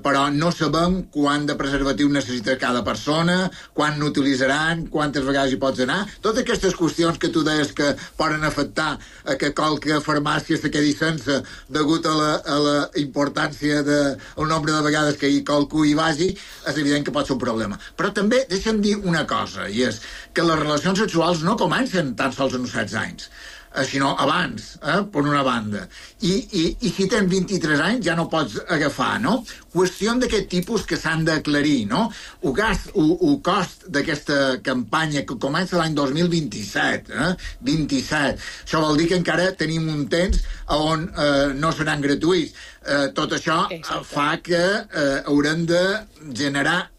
però no sabem quant de preservatiu necessita cada persona, quan n'utilitzaran, quantes vegades hi pots anar. Totes aquestes qüestions que tu deies que poden afectar que qualque farmàcia se quedi sense degut a la importància del nombre de vegades que qualcú hi vagi, és evident que pot ser un problema. Però també deixa'm dir una cosa, i és que les relacions sexuals no comencen tan sols als 16 anys, sinó abans, per una banda. I si tens 23 anys ja no pots agafar, no? Qüestió d'aquest tipus que s'han d'aclarir, no? El cost d'aquesta campanya que comença l'any 2027, 27. Això vol dir que encara tenim un temps on no seran gratuïts. Tot això fa que haurem de generar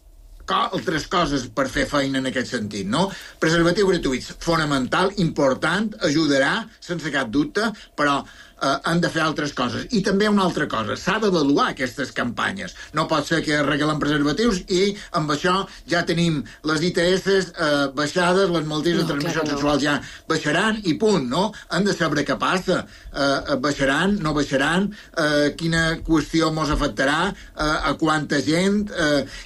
altres coses per fer feina en aquest sentit, no? Preservatiu gratuïts, fonamental, important, ajudarà, sense cap dubte, però han de fer altres coses. I també una altra cosa, s'ha d'avaluar aquestes campanyes. No pot ser que regalen preservatius i amb això ja tenim les ITS baixades, les malalties de transmissió sexual ja baixaran i punt, no? Han de saber què passa. Baixaran, no baixaran, quina qüestió mos afectarà, a quanta gent.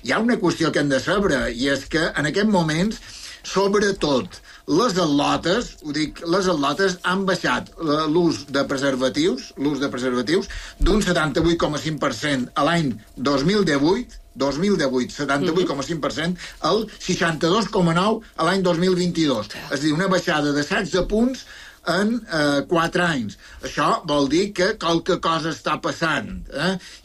Hi ha una qüestió que hem de saber, i és que en aquests moments, sobretot, les atlotes, les atlotes han baixat l'ús de preservatius d'un 78,5% a l'any 2018, 78,5%, al 62,9% a l'any 2022. És a dir, una baixada de 16 punts en 4 anys. Això vol dir que qualque cosa està passant.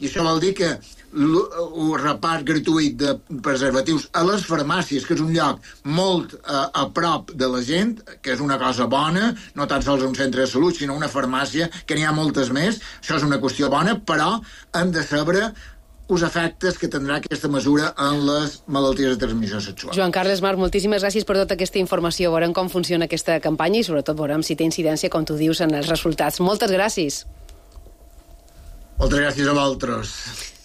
I això vol dir que el repart gratuït de preservatius a les farmàcies, que és un lloc molt a prop de la gent, que és una cosa bona, no tan sols un centre de salut, sinó una farmàcia, que n'hi ha moltes més, això és una qüestió bona, però hem de saber els efectes que tindrà aquesta mesura en les malalties de transmissió sexual. Joan Carles Marc, moltíssimes gràcies per tota aquesta informació. Veurem com funciona aquesta campanya i sobretot veurem si té incidència, com tu dius, en els resultats. Moltes gràcies. Moltes gràcies a vosaltres.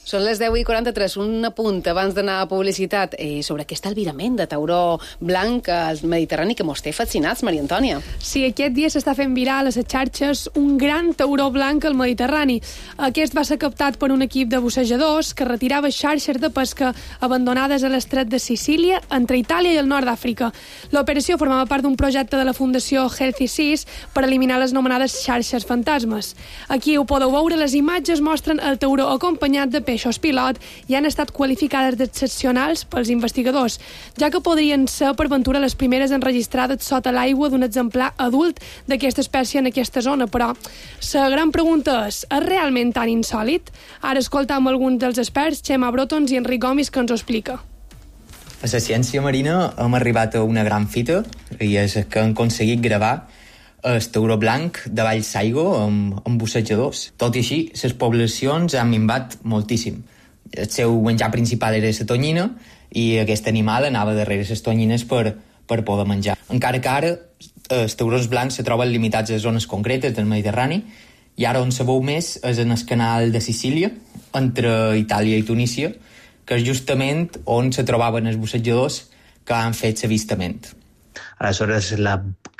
Són les 10:43, un apunt abans d'anar a publicitat sobre aquest albirament de tauró blanc al Mediterrani que mos té fascinats, Maria Antònia. Sí, aquest dia s'està fent viral a les xarxes un gran tauró blanc al Mediterrani. Aquest va ser captat per un equip de bussejadors que retirava xarxes de pesca abandonades a l'estret de Sicília, entre Itàlia i el nord d'Àfrica. L'operació formava part d'un projecte de la Fundació Healthy Seas per eliminar les anomenades xarxes fantasmes. Aquí ho podeu veure, les imatges mostren el tauró acompanyat de peixos peixos pilot i han estat qualificades d'excepcionals pels investigadors, ja que podrien ser, per ventura, les primeres enregistrades sota l'aigua d'un exemplar adult d'aquesta espècie en aquesta zona. Però la gran pregunta és realment tan insòlit? Ara escoltam alguns dels experts, Xema Brotons i Enric Gomis, que ens ho explica. A la ciència marina hem arribat a una gran fita i és que hem aconseguit gravar el tauró blanc de valls d'aigua amb bussejadors. Tot i així, les poblacions han minvat moltíssim. El seu menjar principal era la tonyina i aquest animal anava darrere les tonyines per poder menjar. Encara que ara els taurons blancs se troben limitats a zones concretes del Mediterrani i ara on se veu més és en el canal de Sicília, entre Itàlia i Tunísia, que és justament on se trobaven els bussejadors que han fet l'avistament. Aleshores, la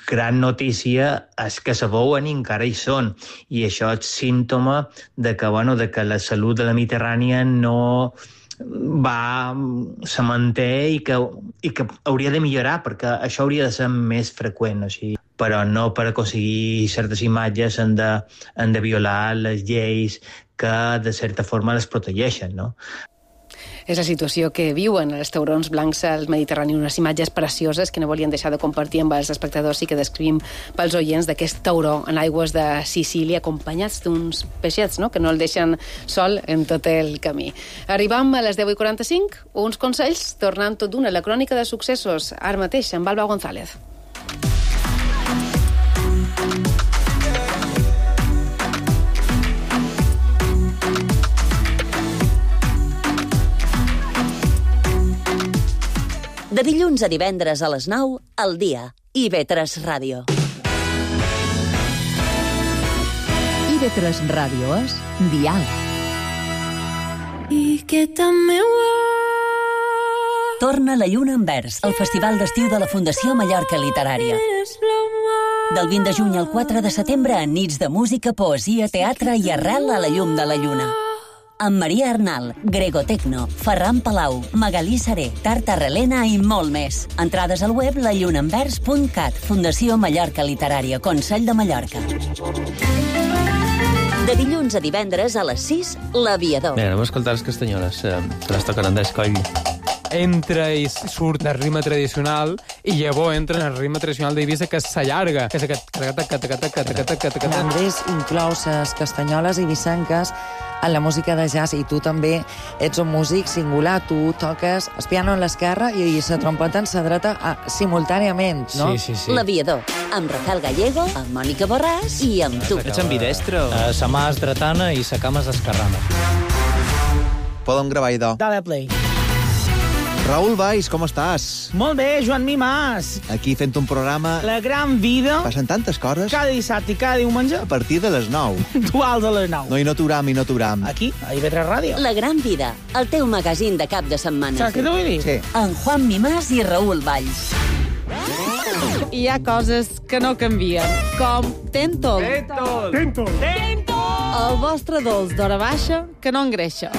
gran notícia és que se veuen i encara hi són, i això és símptoma de que la salut de la Mediterrània no se manté i que hauria de millorar, perquè això hauria de ser més freqüent, o sigui. Però no per aconseguir certes imatges han de violar les lleis que de certa forma les protegeixen, no? És la situació que viuen els taurons blancs al Mediterrani, unes imatges precioses que no volien deixar de compartir amb els espectadors i que descrivim pels oients d'aquest tauró en aigües de Sicília, acompanyats d'uns peixets, no?, que no el deixen sol en tot el camí. Arribam a les 10:45, uns consells, tornant tot d'una a la crònica de successos, ara mateix, amb Alba González. De dilluns a divendres a les 9, al dia. IB3 Ràdio. IB3 Ràdio és Dial. I que també Torna la Lluna en Vers, el festival d'estiu de la Fundació Mallorca Literària. Del 20 de juny al 4 de setembre, en nits de música, poesia, teatre i arrel a la llum de la lluna. Amb Maria Arnal, Grego Tecno, Ferran Palau, Magalí Seré, Tarta Relena i molt més. Entrades al web lallunaenvers.cat, Fundació Mallorca Literària, Consell de Mallorca. De dilluns a divendres a les 6, L'Aviador. Bé, anem a escoltar les castanyoles, que les toquen Andrés Coll. Entra i surt el ritme tradicional i llavors entra en el ritme tradicional d'Eivissa, que s'allarga, que és aquest... Andrés inclou les castanyoles eivissenques en la música de jazz, i tu també ets un músic singular. Tu toques el piano en l'esquerra i la trompeta en la dreta simultàniament, no? Sí. L'Aviador, amb Rafael Gallego, amb Mònica Borràs i amb tu. Ets ambidestre? Sa mà és dretana i sa cama és esquerrana. Podem gravar idò. Dale play. Raül Valls, com estàs? Molt bé, Joan Mimàs. Aquí fent un programa... La gran vida. Passen tantes coses. Cada dissabte i cada diumenge. A partir de les 9. Duals a les 9. No, i no t'uram. Aquí, a IB3 Ràdio. La gran vida, el teu magazín de cap de setmana. Saps què t'ho vull dir? Sí. En Juan Mimàs i Raül Valls. Hi ha coses que no canvien, com Tentol. Tentol. El vostre dolç d'hora baixa que no engreixa.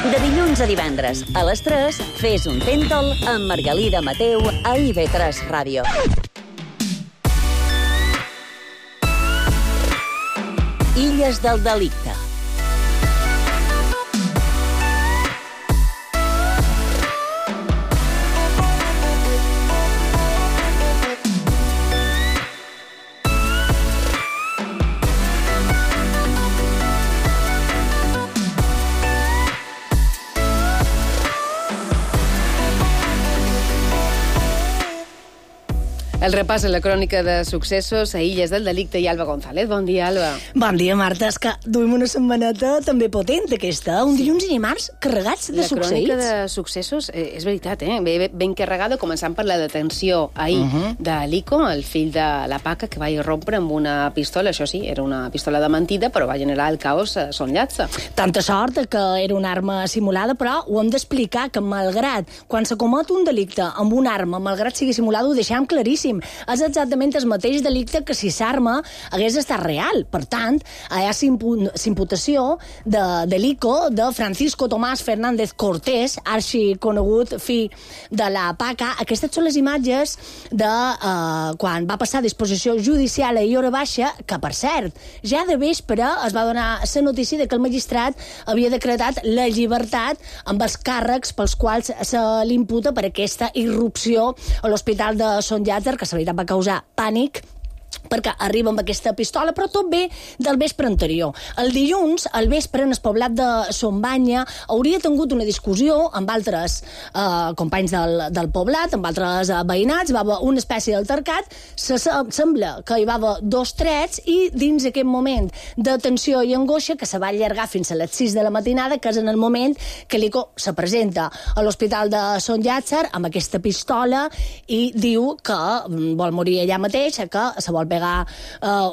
De dilluns a divendres, a les 3, fes un Tentol amb Margalida Mateu a IB3 Ràdio. Illes del delicte. El repàs a la crònica de successos a Illes del Delicte i Alba González. Bon dia, Alba. Bon dia, Marta. És que duim una setmaneta també potent, aquesta. Un dilluns i dimarts carregats de succeïts. La crònica de successos, és veritat, ben carregada, començant per la detenció ahir de Lico, el fill de la Paca, que va irrompre amb una pistola. Això sí, era una pistola de mentida, però va generar el caos a Son Llatza. Tanta sort que era una arma simulada, però ho hem d'explicar, que malgrat quan se comet un delicte amb una arma, malgrat sigui simulada, ho deixem claríssim. tenim. És exactament el mateix delicte que si l'arma hagués estat real. Per tant, hi ha imputació de l'ICO, de Francisco Tomás Fernández Cortés, arxi conegut fill de la PACA. Aquestes són les imatges de quan va passar a disposició judicial a hora baixa, que, per cert, ja de vespre es va donar la notícia que el magistrat havia decretat la llibertat amb els càrrecs pels quals se l'imputa per aquesta irrupció a l'hospital de Sant Llàtzer, que la veritat va causar pànic, perquè arriba amb aquesta pistola, però tot ve del vespre anterior. El dilluns, al vespre, en el poblat de Son Banya, hauria tingut una discussió amb altres companys del poblat, amb altres veïnats, va haver una espècie d'altercat, sembla que hi va haver 2 trets i dins aquest moment de tensió i angoixa que se va allargar fins a les 6 de la matinada, que és en el moment que l'ICO se presenta a l'hospital de Sant Llàtzer amb aquesta pistola i diu que vol morir allà mateix, que se vol pegar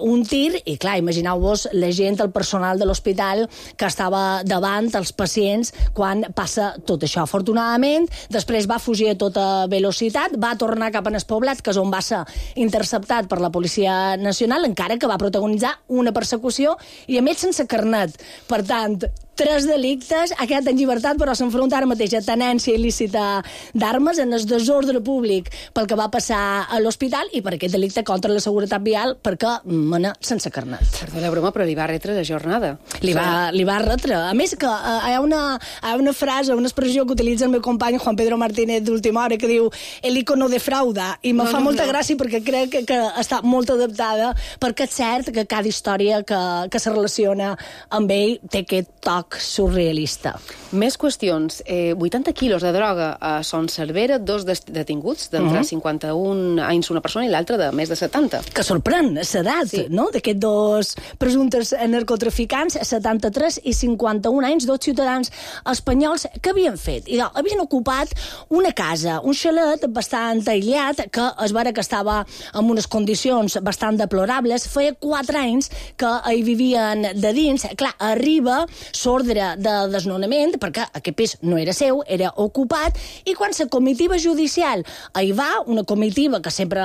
un tir, i clar, imagineu-vos la gent, el personal de l'hospital que estava davant els pacients quan passa tot això. Afortunadament, després va fugir a tota velocitat, va tornar cap en el poblat, que és on va ser interceptat per la Policia Nacional, encara que va protagonitzar una persecució i a més sense carnet. Per tant, 3 delictes, ha quedat en llibertat, però s'enfronta ara mateix a tenència il·lícita d'armes, en el desordre públic pel que va passar a l'hospital i per aquest delicte contra la seguretat vial perquè mena sense carnet. Perdó la broma, però li va retre la jornada. Li va retre. A més que hi ha una frase, una expressió que utilitza el meu company Juan Pedro Martínez d'última hora que diu el ICO no defrauda, i me fa molta gràcia perquè crec que està molt adaptada, perquè és cert que cada història que se relaciona amb ell té aquest toc surrealista. Més qüestions. 80 quilos de droga a Son Servera, 2 detinguts, d'entre 51 anys una persona i l'altra de més de 70. Que sorprèn l'edat, sí, no?, d'aquests 2 presumptes narcotraficants, 73 i 51 anys, 2 ciutadans espanyols que havien fet. I havien ocupat una casa, un xalet bastant aïllat, que es veure que estava en unes condicions bastant deplorables. Feia 4 anys que hi vivien de dins. Clar, arriba ordre de desnonament, perquè aquest pis no era seu, era ocupat, i quan la comitiva judicial hi va, una comitiva que sempre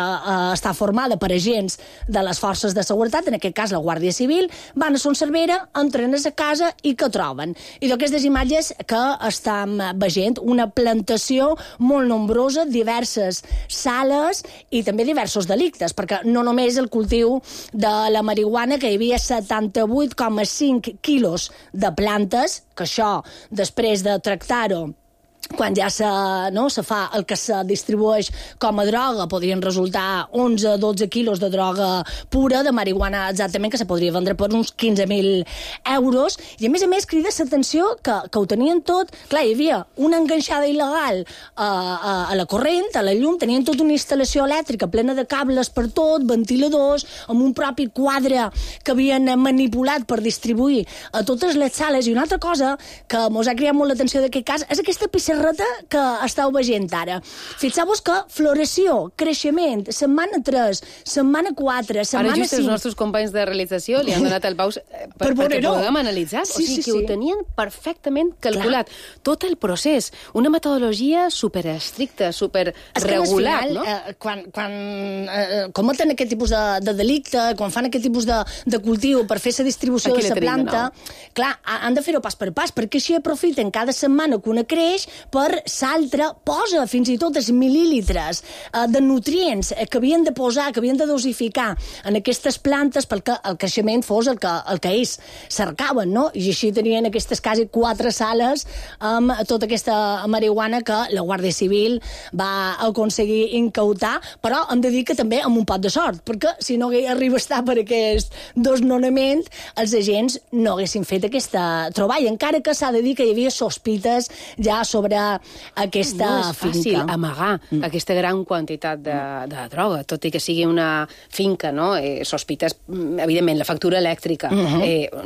està formada per agents de les forces de seguretat, en aquest cas la Guàrdia Civil, van a Son Servera, entren a la casa i què troben? I d'aquestes imatges que estem veient, una plantació molt nombrosa, diverses sales i també diversos delictes, perquè no només el cultiu de la marihuana, que hi havia 78,5 quilos de plantes, que això, després de tractar-ho, quan ja se fa el que se distribueix com a droga, podrien resultar 11-12 quilos de droga pura, de marihuana exactament, que se podria vendre per uns 15.000 euros, i a més crida l'atenció que ho tenien tot. Clar, hi havia una enganxada il·legal a la corrent, a la llum, tenien tota una instal·lació elèctrica plena de cables per tot, ventiladors, amb un propi quadre que havien manipulat per distribuir a totes les sales. I una altra cosa que mos ha cridat molt l'atenció d'aquest cas és aquesta pissarreta que estàu veient ara. Fixeu-vos que floració, creixement, setmana 3, setmana 4, setmana 5... Ara just els nostres companys de realització li han donat el paus perquè puguem analitzar. O sigui que ho tenien perfectament calculat. Tot el procés, una metodologia superestricta, superregular, no? Quan cometen aquest tipus de delicte, quan fan aquest tipus de cultiu per fer la distribució de la planta, clar, han de fer-ho pas per pas, perquè així aprofiten cada setmana que una creix per l'altra, posa fins i tot els mil·lílitres de nutrients que havien de posar, que havien de dosificar en aquestes plantes perquè el creixement fos el que ells cercaven, no? I així tenien aquestes quasi 4 sales amb tota aquesta marihuana que la Guàrdia Civil va aconseguir incautar, però hem de dir que també amb un pot de sort, perquè si no arriba a estar per aquest desnonament, els agents no haguessin fet aquesta troballa, encara que s'ha de dir que hi havia sospites ja sobre aquesta finca. No és fàcil amagar aquesta gran quantitat de droga, tot i que sigui una finca, no? Sospites, evidentment, la factura elèctrica.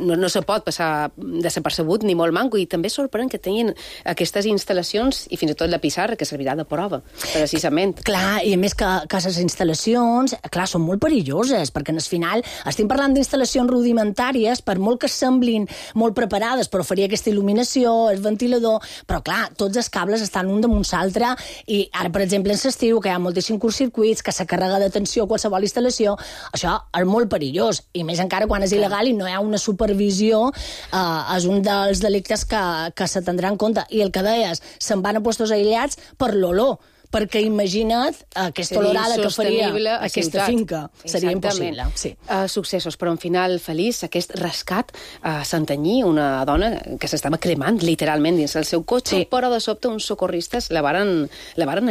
No se pot passar desapercebut ni molt manco, i també sorprèn que tinguin aquestes instal·lacions i fins i tot la pissarra, que servirà de prova, precisament. Clar, i a més que les instal·lacions, clar, són molt perilloses, perquè al final estem parlant d'instal·lacions rudimentàries, per molt que semblin molt preparades per oferir aquesta il·luminació, el ventilador, però clar, tot tots els cables estan un damunt l'altre, i ara, per exemple, en l'estiu, que hi ha moltíssims curtcircuits, que se carrega de tensió a qualsevol instal·lació, això és molt perillós, i més encara quan és il·legal i no hi ha una supervisió, és un dels delictes que se tindrà en compte. I el que deies, se'n van a puestos aïllats per l'olor, perquè imagina't aquesta olorada que faria aquesta finca. Seria impossible. Sí. Successos, però un final feliç, aquest rescat a Santanyí, una dona que s'estava cremant literalment dins el seu cotxe, però de sobte uns socorristes la varen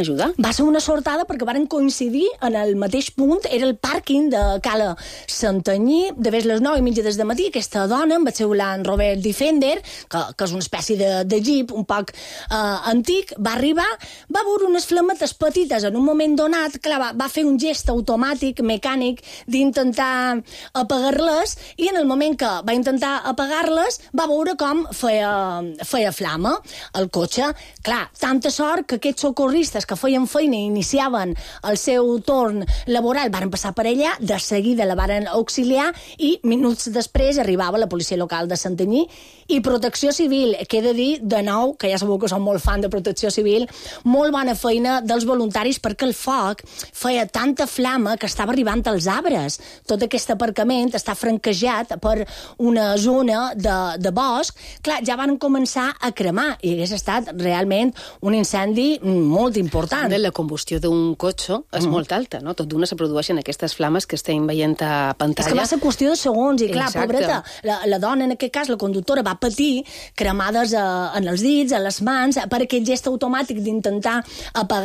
ajudar. Va ser una sortada perquè varen coincidir en el mateix punt, era el pàrquing de Cala Santanyí, de les 9:30 des de matí. Aquesta dona, amb el seu Land Rover Defender, que és una espècie de jeep un poc antic, va arribar, va veure unes flames petites en un moment donat, clar, va fer un gest automàtic, mecànic, d'intentar apagar-les, i en el moment que va intentar apagar-les va veure com feia flama el cotxe. Clar, tanta sort que aquests socorristes que feien feina i iniciaven el seu torn laboral varen passar per allà, de seguida la varen auxiliar, i minuts després arribava la policia local de Santanyí i Protecció Civil, que he de dir, de nou, que ja sabeu que som molt fan de Protecció Civil, molt bona feina dels voluntaris, perquè el foc feia tanta flama que estava arribant als arbres. Tot aquest aparcament està franquejat per una zona de bosc. Clar, ja van començar a cremar i hagués estat realment un incendi molt important. La combustió d'un cotxe és molt alta, no? Tot d'una se produeixen aquestes flames que estem veient a pantalla. És que va ser qüestió de segons, i clar, exacte, pobreta, la dona, en aquest cas, la conductora, va patir cremades en els dits, a les mans, per aquest gest automàtic d'intentar apagar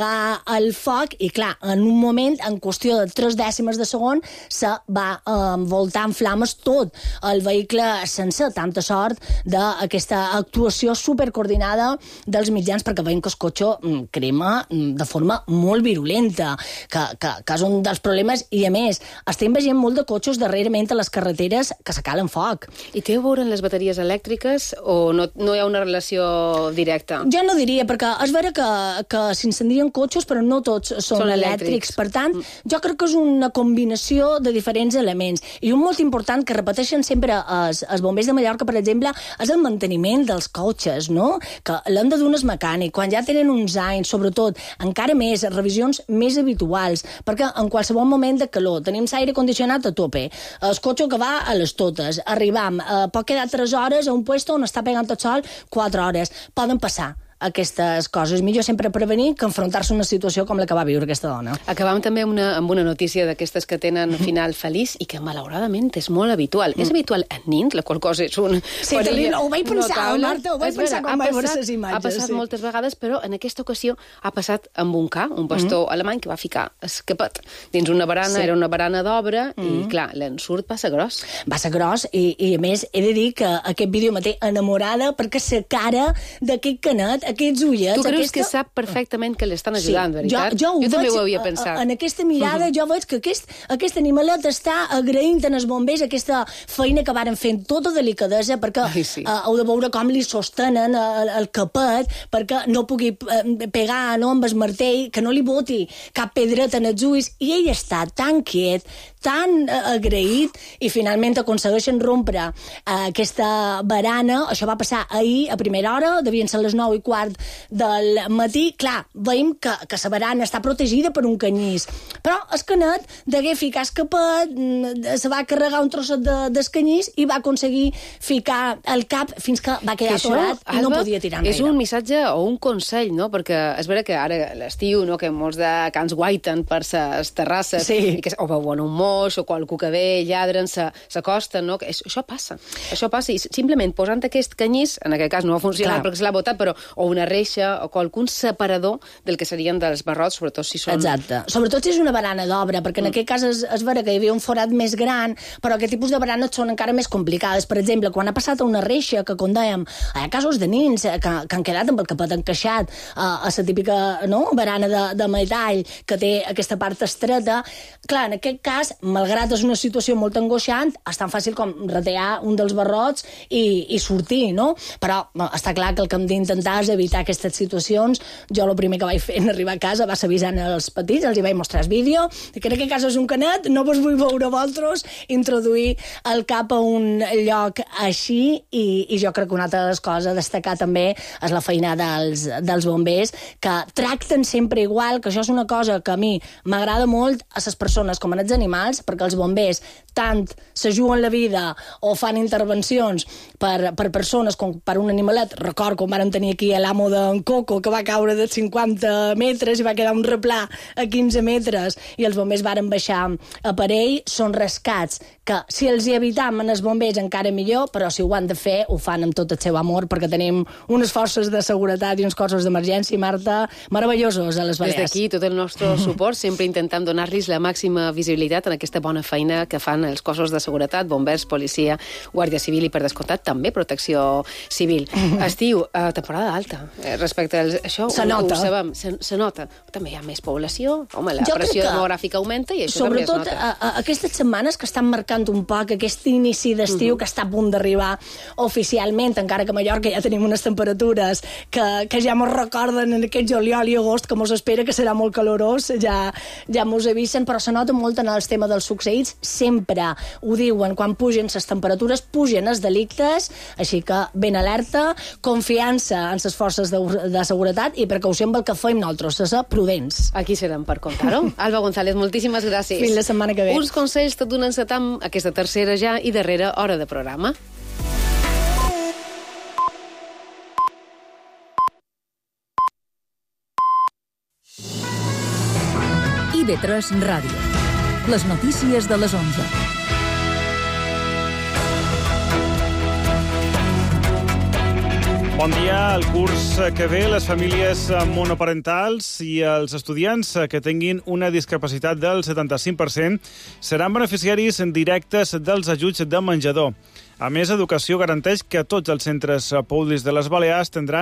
el foc, i clar, en un moment, en qüestió de 3 dècimes de segon, se va envoltar en flames tot el vehicle sencer. Tanta sort d'aquesta actuació supercoordinada dels mitjans, perquè veiem que el cotxe crema de forma molt virulenta, que és un dels problemes, i a més, estem veient molt de cotxes darrerament a les carreteres que se calen foc. I té a veure amb les bateries elèctriques o no hi ha una relació directa? Jo no diria, perquè és vera que s'incendien cotxes, però no tots són elèctrics. Per tant, jo crec que és una combinació de diferents elements. I un molt important que repeteixen sempre els bombers de Mallorca, per exemple, és el manteniment dels cotxes, no? Que l'han de dur un mecànic. Quan ja tenen uns anys, sobretot, encara més, revisions més habituals, perquè en qualsevol moment de calor tenim l'aire condicionat a tope, el cotxe que va a les totes, arribam, pot quedar 3 hores a un puesto on està pegant el sol 4 hores. Poden passar aquestes coses. Millor sempre prevenir que enfrontar-se a una situació com la que va viure aquesta dona. Acabam també amb una notícia d'aquestes que tenen final feliç i que malauradament és molt habitual. És habitual en nins, la qual cosa és un... Sí, ho vaig pensar, Marta, ho vaig pensar quan vaig veure les imatges. Ha passat moltes vegades, però en aquesta ocasió ha passat amb un ca, un pastor alemany que va ficar escapat dins una barana, era una barana d'obra, i clar, l'ensurt va ser gros. Va ser gros, i a més he de dir que aquest vídeo me té enamorada perquè la cara d'aquest canet, aquests ullets... Tu creus que sap perfectament que l'estan ajudant, veritat? Jo també ho havia pensat. En aquesta mirada jo veig que aquest animalet està agraint en els bombers aquesta feina que varen fer amb tota delicadesa, perquè heu de veure com li sostenen el capet perquè no pugui pegar amb el martell, que no li boti cap pedreta en els ulls, i ell està tan quiet, tan agraït, i finalment aconsegueixen rompre aquesta barana. Això va passar ahir a primera hora, devien ser les 9:15 del matí. Clar, veiem que la barana està protegida per un canyís, però el canet degué ficar escapat, se va carregar un trosset d'escanyís i va aconseguir ficar el cap fins que va quedar atorat i no podia tirar enrere. És un missatge o un consell, no? Perquè és vera que ara l'estiu, no?, que molts de cans guaiten per les terrasses, i que o veuen un moix o qualcú que ve, lladren, s'acosten, no? Això passa, i simplement posant aquest canyís, en aquest cas no va funcionar perquè se l'ha botat, però o una reixa o qualcun separador del que serien dels barrots, sobretot si són... Exacte. Sobretot si és una barana d'obra, perquè en aquest cas és vera que hi havia un forat més gran, però aquest tipus de baranes són encara més complicades. Per exemple, quan ha passat a una reixa, que com dèiem, hi ha casos de nins que han quedat amb el capet encaixat a la típica barana de metall que té aquesta part estreta, clar, en aquest cas malgrat és una situació molt angoixant, és tan fàcil com retallar un dels barrots i sortir, no? Però està clar que el que hem d'intentar és evitar aquestes situacions. Jo el primer que vaig fer en arribar a casa va ser avisant els petits, els hi vaig mostrar el vídeo, que crec que a casa és un canet, no vos vull veure vosaltres introduir el cap a un lloc així, i jo crec que una altra de les coses a destacar també és la feina dels bombers, que tracten sempre igual, que això és una cosa que a mi m'agrada molt a les persones com a els animals, perquè els bombers tant se juguen la vida o fan intervencions per persones com per un animalet. Record quan vam tenir aquí l'amo d'en Coco, que va caure de 50 metres i va quedar un replà a 15 metres, i els bombers varen baixar a per ell. Són rescats que, si els hi evitam en els bombers, encara millor, però si ho han de fer, ho fan amb tot el seu amor, perquè tenim unes forces de seguretat i uns cossos d'emergència, Marta, meravellosos a les Balears. Des d'aquí, tot el nostre suport, sempre intentant donar-los la màxima visibilitat en aquesta bona feina que fan els cossos de seguretat, bombers, policia, guàrdia civil i, per descomptat, també protecció civil. Estiu, temporada alta. Respecte a això, se nota. Ho sabem, se nota. També hi ha més població, home, la pressió demogràfica augmenta i això també es nota. Sobretot aquestes setmanes que estan marcant un poc aquest inici d'estiu que està a punt d'arribar oficialment, encara que a Mallorca ja tenim unes temperatures que ja mos recorden en aquest juliol i agost, que mos espera que serà molt calorós, ja mos avisen, però se nota molt en el tema dels succeïts. Sempre ho diuen, quan pugen les temperatures, pugen els delictes, així que ben alerta, confiança en les forces de seguretat i precaució amb el que fem nosaltres, ser prudents. Aquí serem per contar-ho. Alba González, moltíssimes gràcies. Fins la setmana que ve. Uns consells tot d'un encetam aquesta tercera ja i darrera hora de programa. IB3 Ràdio. Les notícies de les 11. Bon dia. El curs que ve, les famílies monoparentals i els estudiants que tinguin una discapacitat del 75% seran beneficiaris directes dels ajuts de menjador. A més, Educació garanteix que tots els centres públics de les Balears tindran